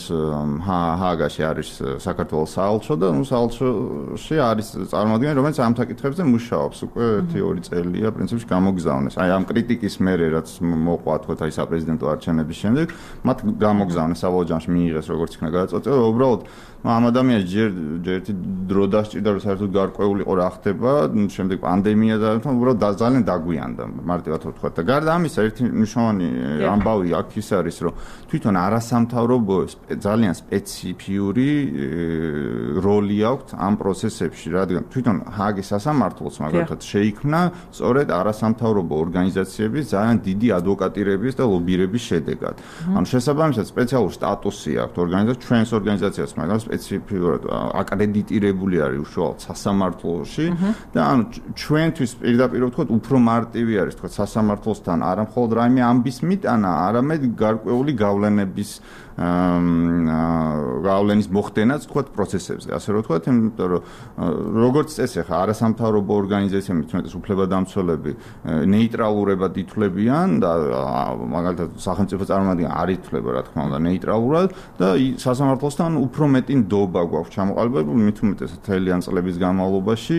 ჰააგაში არის საქართველოს საელჩო და ნუ საელჩოში არის წარმომადგენელი, რომელიც ამ საკითხებზე მუშაობს უკვე ერთი ორი წელია პრინციპში გამოგზავნეს. აი ამ კრიტიკის მერე რაც მოყვა თქვა აი საპრეზიდენტო არჩევნების შემდეგ, მათ გამოგზავნეს საბოლოოში მიიღეს როგორც იქნა გადაწყვეტილება, უბრალოდ ამ ადამიანს ჯერ ერთი დრო დასჭირდა რომ საერთოდ გარკვეულიყო რა ხდება, შემდეგ პანდემია და უბრალოდ ძალიან დაგვიანდა მარტივად ვთქვა და გარდა ამისა ერთი მნიშვნელოვანი ამბავი აქ ის არის რომ თვითონ არასამთავრობო ძალიან სპეციფიური როლი აქვს ამ პროცესებში, რადგან თვითონ ჰააგის სასამართლოს მაგალითად შეიქმნა სწორედ არასამთავრობო ორგანიზაციების ძალიან დიდი ადვოკატირების და ლობირების შედეგად. ანუ შესაბამისად სპეციალური სტატუსი აქვს ორგანიზაციას, ჩვენს ორგანიზაციას მაგალითად სპეციფიურად აკრედიტირებული არის უშუალოდ სასამართლოში და ანუ ჩვენთვის პირდაპირ ვთქვათ უფრო მარტივი არის თქვა სასამართლოსთან არა მხოლოდ რაიმე ამბის მიტანა, არამედ გარკვეული გავლენების გავლენის მოხდენაც თქვათ პროცესებზე, ასე რომ ვთქვათ, იმიტომ რომ როგორც წესი ხა არასამთავრობო ორგანიზაციები, თუმცა უფლებადამცველები ნეიტრალურებად ითვლებიან და მაგალითად სახელმწიფო წარმომადგენელი არ ითვლება რა თქმა უნდა ნეიტრალურად და სასამართლოსთან უფრო მეტი ნდობა გვაქვს ჩამოყალიბებული, მით უმეტესად თელიან წლების განმავლობაში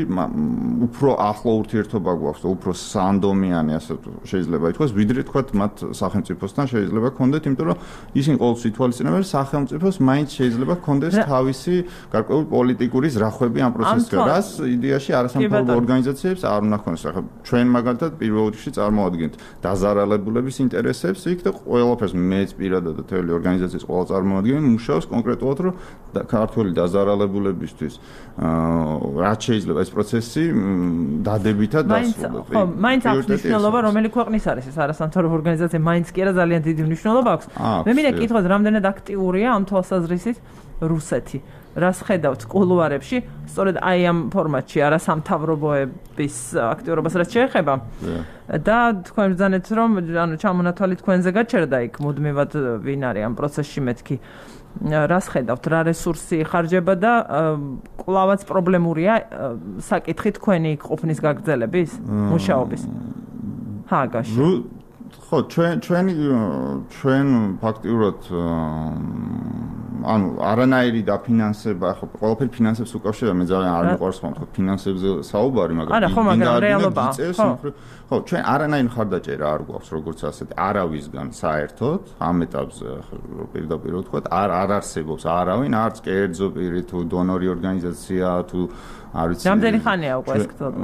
უფრო ახლო ურთიერთობა გვაქვს და უფრო სანდომიანი ასე შეიძლება ითქვას, ვიდრე თქვათ მათ სახელმწიფოსთან შეიძლება ქონდეთ, იმიტომ რომ ისინი ყოველთვის ითვალისწინებენ სახელმწიფოს მაინც შეიძლება ქონდეს თავისი გარკვეული პოლიტიკური ზრახვები ამ პროცესზე, რაც იდეაში არასამთავრობო ორგანიზაციებს არ უნდა ქონდეს. ახლა ჩვენ მაგალითად პირველ რიგში წარმოადგენთ დაზარალებულების ინტერესებს იქ და ყველაფერს მეც პირადად და თელი ორგანიზაციის ყველა წარმომადგენელი მუშაობს კონკრეტულად რომ ქართული დაზარალებულებისთვის რაც შეიძლება ეს პროცესი დადებითად დასრულდეს. ხო, მაინც აქვს მნიშვნელობა რომელი ქვეყნის არის ეს არასამთავრობო ორგანიზაცია, მაინც კი არა ძალიან დიდი მნიშვნელობა აქვს. მე მინდა კითხოთ რამდენად აქტიურია ამ თვალსაზრისით რუსეთი. რას ხედავთ კულუარებში, სწორედ აი ამ ფორმატში არასამთავრობოების აქტიურობას რაც შეეხება. და თქვენ ბრძანეთ რომ ანუ ჩამონათვალი თქვენზე გაჩერდა იქ მუდმივად ვინ არის ამ პროცესში მეთქი. რას ხედავთ, რა რესურსი ხარჯება და კვლავაც პრობლემურია საკითხი თქვენი ყოფნის გაგრძელების, მუშაობის? ჰააგაში. ხო, ჩვენ ჩვენი ჩვენ ფაქტიურად ანუ არანაირი დაფინანსება, ხო, ყველაფერი ფინანსებს უკავშირდება, მე ძალიან არ მიყვარს ხომ თქო ფინანსებზე საუბარი, მაგრამ არა, ხო, მაგრამ რეალობაა. ხო, ჩვენ არანაირი მხარდაჭერა არ გვაქვს, როგორც ასეთი, არავისგან საერთოდ, ამ ეტაპზე პირდაპირ ვთქვათ, არ არ არსებობს არავინ, არც კერძო პირი თუ დონორი ორგანიზაცია თუ არ ვიცი. რამდენი ხანია უკვე ეს გწოდა?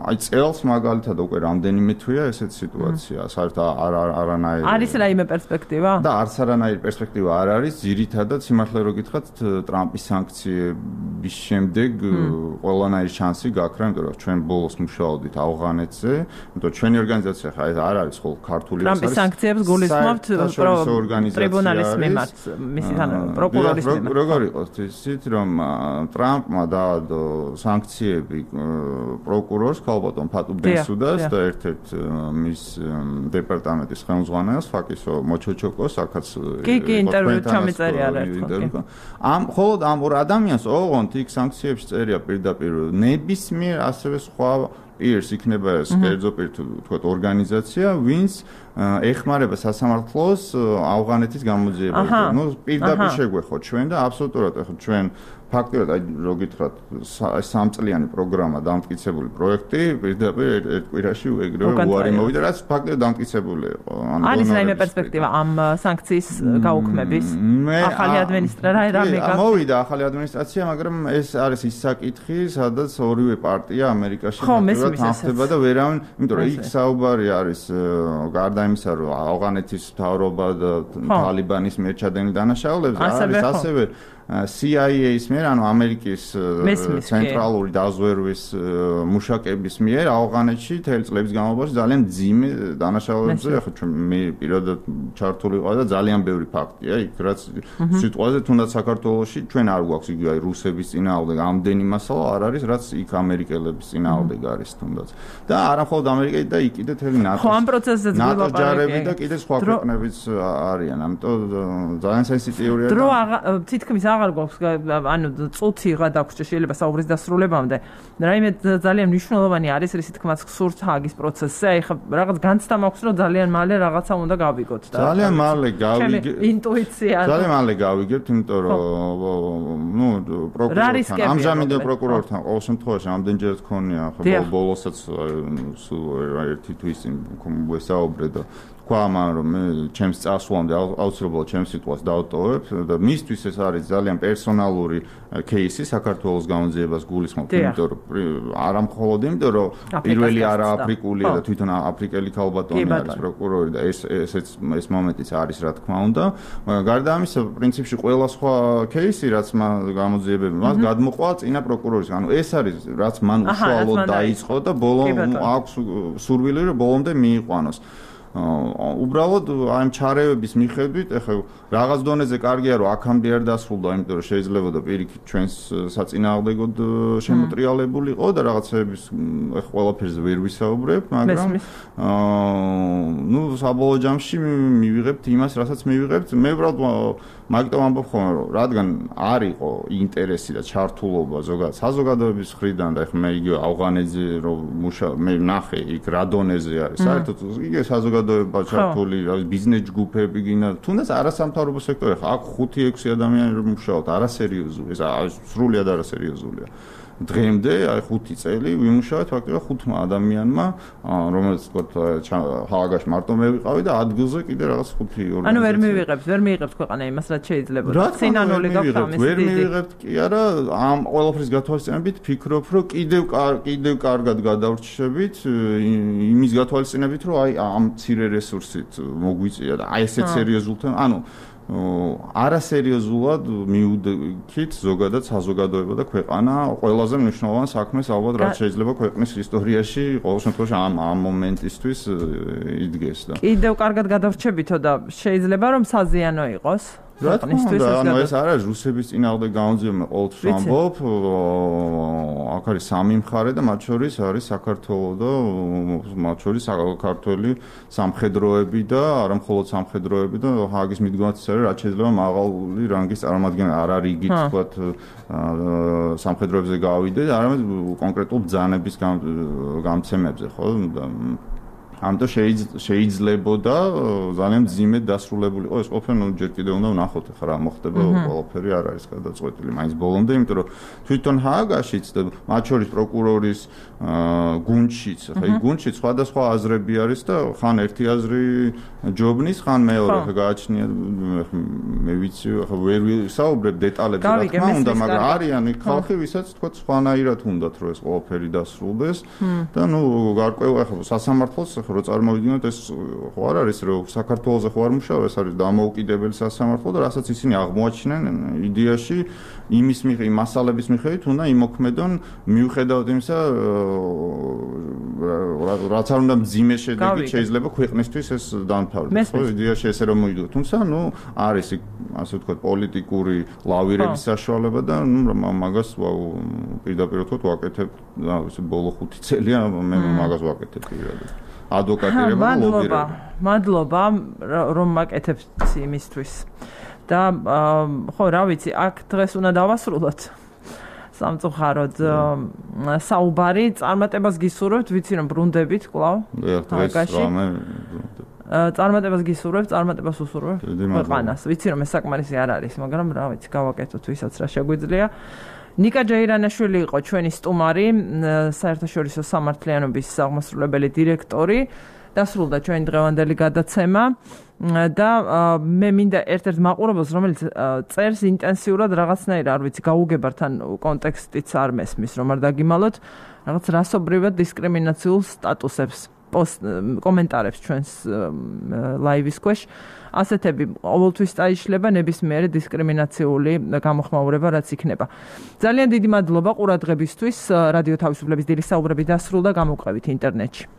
აი წელს მაგალითად უკვე რამდენიმე თვეა ესეთ სიტუაცია, საერთოდ არ არანაირი. არის რაიმე პერსპექტივა? და არც არანაირი პერსპექტივა არ არის, ძირითადად სიმართლე რო გითხრათ, ტრამპის სანქციების შემდეგ ყველანაირი შანსი გაქრა, იმიტომ რომ ჩვენ ბოლოს მუშაობდით ავღანეთზე, იმიტომ ჩვენი ორგანიზაცია ხა ეს არ არის ხოლ ქართული ეს არის. ტრამპის სანქციებს გულისხმობთ ტრიბუნალის მიმართ, მისი პროკურორის მიმართ. როგორ იყოს ისიც რომ ტრამპმა და სანქციები პროკურორს ქალბატონ ფატუ ბენსუდას და ერთ-ერთ მის დეპარტამენტის ხელმძღვანელს ფაკისო მოჩოჩოკოს აქაც კი კი ინტერვიუ ჩამიწერია ერთხელ. ამ მხოლოდ ამ ორ ადამიანს ოღონდ იქ სანქციებში წერია პირდაპირ ნებისმიერ ასევე სხვა პირს იქნება ეს კერძო პირ თუ თქვათ ორგანიზაცია, ვინც ეხმარება სასამართლოს ავღანეთის გამოძიებაზე. ნუ პირდაპირ შეგვეხოთ ჩვენ და აბსოლუტურად ახლა ჩვენ ფაქტიურად აი რო გითხრათ სამწლიანი პროგრამა დამტკიცებული პროექტი პირდაპირ ერთ კვირაში ეგრევე უარი მოვიდა, რაც ფაქტიურად დამტკიცებული იყო. არის რაიმე პერსპექტივა ამ სანქციის გაუქმების? ახალი ადმინისტრაცია რამე გა მოვიდა ახალი ადმინისტრაცია, მაგრამ ეს არის ის საკითხი, სადაც ორივე პარტია ამერიკაში ფაქტიურად თანხდება და ვერავინ, იმიტომ რომ იქ საუბარი არის გარდა იმისა, რომ ავღანეთის მთავრობა და თალიბანის მიერ ჩადენილ დანაშაულებზე არის ასევე C I A-ის მიერ, ანუ ამერიკის ცენტრალური დაზვერვის მუშაკების მიერ ავღანეთში თელი წლების განმავლობაში ძალიან მძიმე დანაშაულებებზე, ახლა ჩვენ მე პირადად ჩართული ვიყავ და ძალიან ბევრი ფაქტია იქ, რაც სიტყვაზე თუნდაც საქართველოში ჩვენ არ გვაქვს იგივე აი რუსების წინააღმდეგ ამდენი მასალა არ არის, რაც იქ ამერიკელების წინააღმდეგ არის თუნდაც. და არა მხოლოდ ამერიკა და იქ კიდე თელი ნატო. ხო, ამ პროცესზეც ვილაპარაკე. ჯარები და კიდე სხვა ქვეყნებიც არიან, ამიტომ ძალიან სენსიტიურია. დრო თითქმის აღარ გვაქვს, ანუ წუთი რა დაგვრჩა შეიძლება საუბრის დასრულებამდე. რაიმე ძალიან მნიშვნელოვანი არის რისი თქმაც გსურთ ჰაგის პროცესზე. აი ხა რაღაც განცდა მაქვს, რომ ძალიან მალე რაღაცა უნდა გავიგოთ და ძალიან მალე გავიგებთ. ინტუიცია. ძალიან მალე გავიგებთ, იმიტომ რომ ნუ პროკურორთან, ამჟამინდელ პროკურორთან ყოველ შემთხვევაში ამდენჯერ თქონია, ხო ბოლოსაც სულ ერთი თვის წინ ვესაუბრე და თქვა მან რომ მე ჩემს წასვლამდე აუცილებლად ჩემს სიტყვას დავტოვებ და მისთვის ეს არის ძალიან პერსონალური кейსი საქართველოს გამოძიებას გულისხმობ, იმიტომ რომ არა მხოლოდ იმიტომ რომ პირველი არა აფრიკულია და თვითონ აფრიკელი ქალბატონი არის პროკურორი და ეს ესეც ეს მომენტიც არის რა თქმა უნდა. გარდა ამისა, პრინციპში ყველა სხვა кейსი რაც მან გამოძიებები მას გადმოყვა წინა პროკურორის. ანუ ეს არის რაც მან უშუალოდ დაიწყო და ბოლომდე აქვს სურვილი რომ ბოლომდე მიიყვანოს. უბრალოდ აი ჩარევების მიხედვით, ახლა რაღაც დონეზე კარგია რომ აქამდე არ დასრულდა, იმიტომ რომ შეიძლება და პირიქით ჩვენს საწინააღმდეგოდ შემოტრიალებულიყო და რაღაცების ახლა ყველაფერზე ვერ ვისაუბრებ, მაგრამ აა ნუ საბოლოო ჯამში მივიღებთ იმას, რასაც მივიღებთ. მე უბრალოდ მაგიტომ ამბობ ხოლმე რომ რადგან არ იყო ინტერესი და ჩართულობა ზოგადად საზოგადოების მხრიდან და ახლა მე იგივე ავღანეთზე რომ მუშა მე ნახე იქ რა დონეზე არის, საერთოდ იგივე საზოგადოება ჩართული, რა ვიცი ბიზნეს ჯგუფები გინდა, თუნდაც არასამთავრობო სექტორი, ხა აქ ხუთი ექვსი ადამიანი რომ მუშაობთ, არასერიოზული, ეს სრულიად არასერიოზულია. დღემდე აი ხუთი წელი ვიმუშავეთ ფაქტობრივად ხუთმა ადამიანმა, რომელიც თქო ჰააგაში მარტო მე ვიყავი და ადგილზე კიდე რაღაც ხუთი ორგანიზაცია. ანუ ვერ მივიღებთ, ვერ მივიღებთ ქვეყანა იმას, რაც შეიძლება. სინანული გაქვს ამის დიდი. ვერ მივიღებთ კი არა, ამ ყველაფრის გათვალისწინებით ფიქრობ, რომ კიდევ კიდევ კარგად გადავრჩებით იმის გათვალისწინებით, რომ აი ამ მცირე რესურსით მოგვიწია და აი ესეთ სერიოზულთან, ანუ არასერიოზულად მიუდგით ზოგადად საზოგადოება და ქვეყანა ყველაზე მნიშვნელოვან საქმეს ალბათ რაც შეიძლება ქვეყნის ისტორიაში ყოველ შემთხვევაში ამ ამ მომენტისთვის იდგეს და კიდევ კარგად გადავრჩებითო და შეიძლება რომ საზიანო იყოს ქვეყნისთვის ეს ანუ ეს არა რუსების წინააღმდეგ გაუძიებმა ყოველთვის ვამბობ აქ არის სამი მხარე და მათ შორის არის საქართველო და მათ შორის საქართველოს სამხედროები და არა მხოლოდ სამხედროები და ჰააგის მიდგომაც არის რაც შეიძლება მაღალი რანგის წარმომადგენელი არ არის იგივე თქვათ სამხედროებზე გავიდე არამედ კონკრეტულ ბრძანების გამცემებზე ხო ამიტომ შეიძლებოდა ძალიან ძიმედ დასრულებული იყო ეს ყოფილი ნუ ჯერ კიდევ უნდა ვნახოთ ახლა რა მოხდება ყველაფერი არ არის გადაწყვეტილი მაინც ბოლომდე იმიტომ რომ თვითონ ჰააგაშიც და მათ შორის პროკურორის გუნდშიც ახლა ის გუნდში სხვადასხვა აზრები არის და ხან ერთი აზრი ჯობნის ხან მეორე ახლა გააჩნია მე ვიცი ახლა ვერ ვისაუბრებ დეტალებზე რა თქმა უნდა მაგრამ არიან ხალხი ვისაც თქვა სხვანაირად უნდათ რომ ეს ყველაფერი დასრულდეს და ნუ გარკვეულ ახლა სასამართლოს რო წარმოვიდგინოთ ეს ხო არ არის რომ საქართველოზე ხო არ მუშაობს ეს არის დამოუკიდებელი სასამართლო და რასაც ისინი აღმოაჩინენ იდეაში იმის მიხედვით მასალების მიხედვით უნდა იმოქმედონ მიუხედავად იმისა რაც არ უნდა მძიმე შედეგი შეიძლება ქვეყნისთვის ეს დამთავრდეს ხო იდეაში ესე რომ მოიგო თუმცა ნუ არის ასე ვთქვათ პოლიტიკური ლავირების საშუალება და ნუ მაგას პირდაპირ ვთქვათ ვაკეთებ ესე ბოლო ხუთი წელია მე მაგას ვაკეთებ პირადად ადვოკატირება და ლობირება. მადლობა რომ მაკეთებთ იმისთვის. და ხო რა ვიცი, აქ დღეს უნდა დავასრულოთ. სამწუხაროდ საუბარი წარმატებას გისურვებთ, ვიცი რომ ბრუნდებით კვლავ. დღეს რამე წარმატებას გისურვებთ, წარმატებას უსურვებთ ქვეყანას. ვიცი რომ ეს საკმარისი არ არის, მაგრამ რა ვიცი, გავაკეთოთ ვისაც რა შეგვიძლია. ნიკა ჯეირანაშვილი იყო ჩვენი სტუმარი, საერთაშორისო სამართლიანობის აღმასრულებელი დირექტორი. დასრულდა ჩვენი დღევანდელი გადაცემა და მე მინდა ერთ-ერთ მაყურებელს, რომელიც წერს ინტენსიურად რაღაცნაირად, არ ვიცი, გაუგებართ ან კონტექსტიც არ მესმის, რომ არ დაგიმალოთ, რაღაც რასობრივად დისკრიმინაციულ სტატუსებს პოსტ კომენტარებს ჩვენს ლაივის ქვეშ. ასეთები ყოველთვის წაიშლება ნებისმიერი დისკრიმინაციული გამოხმაურება რაც იქნება. ძალიან დიდი მადლობა ყურადღებისთვის. რადიო თავისუფლების დილის საუბრები დასრულდა, გამოვყევით ინტერნეტში.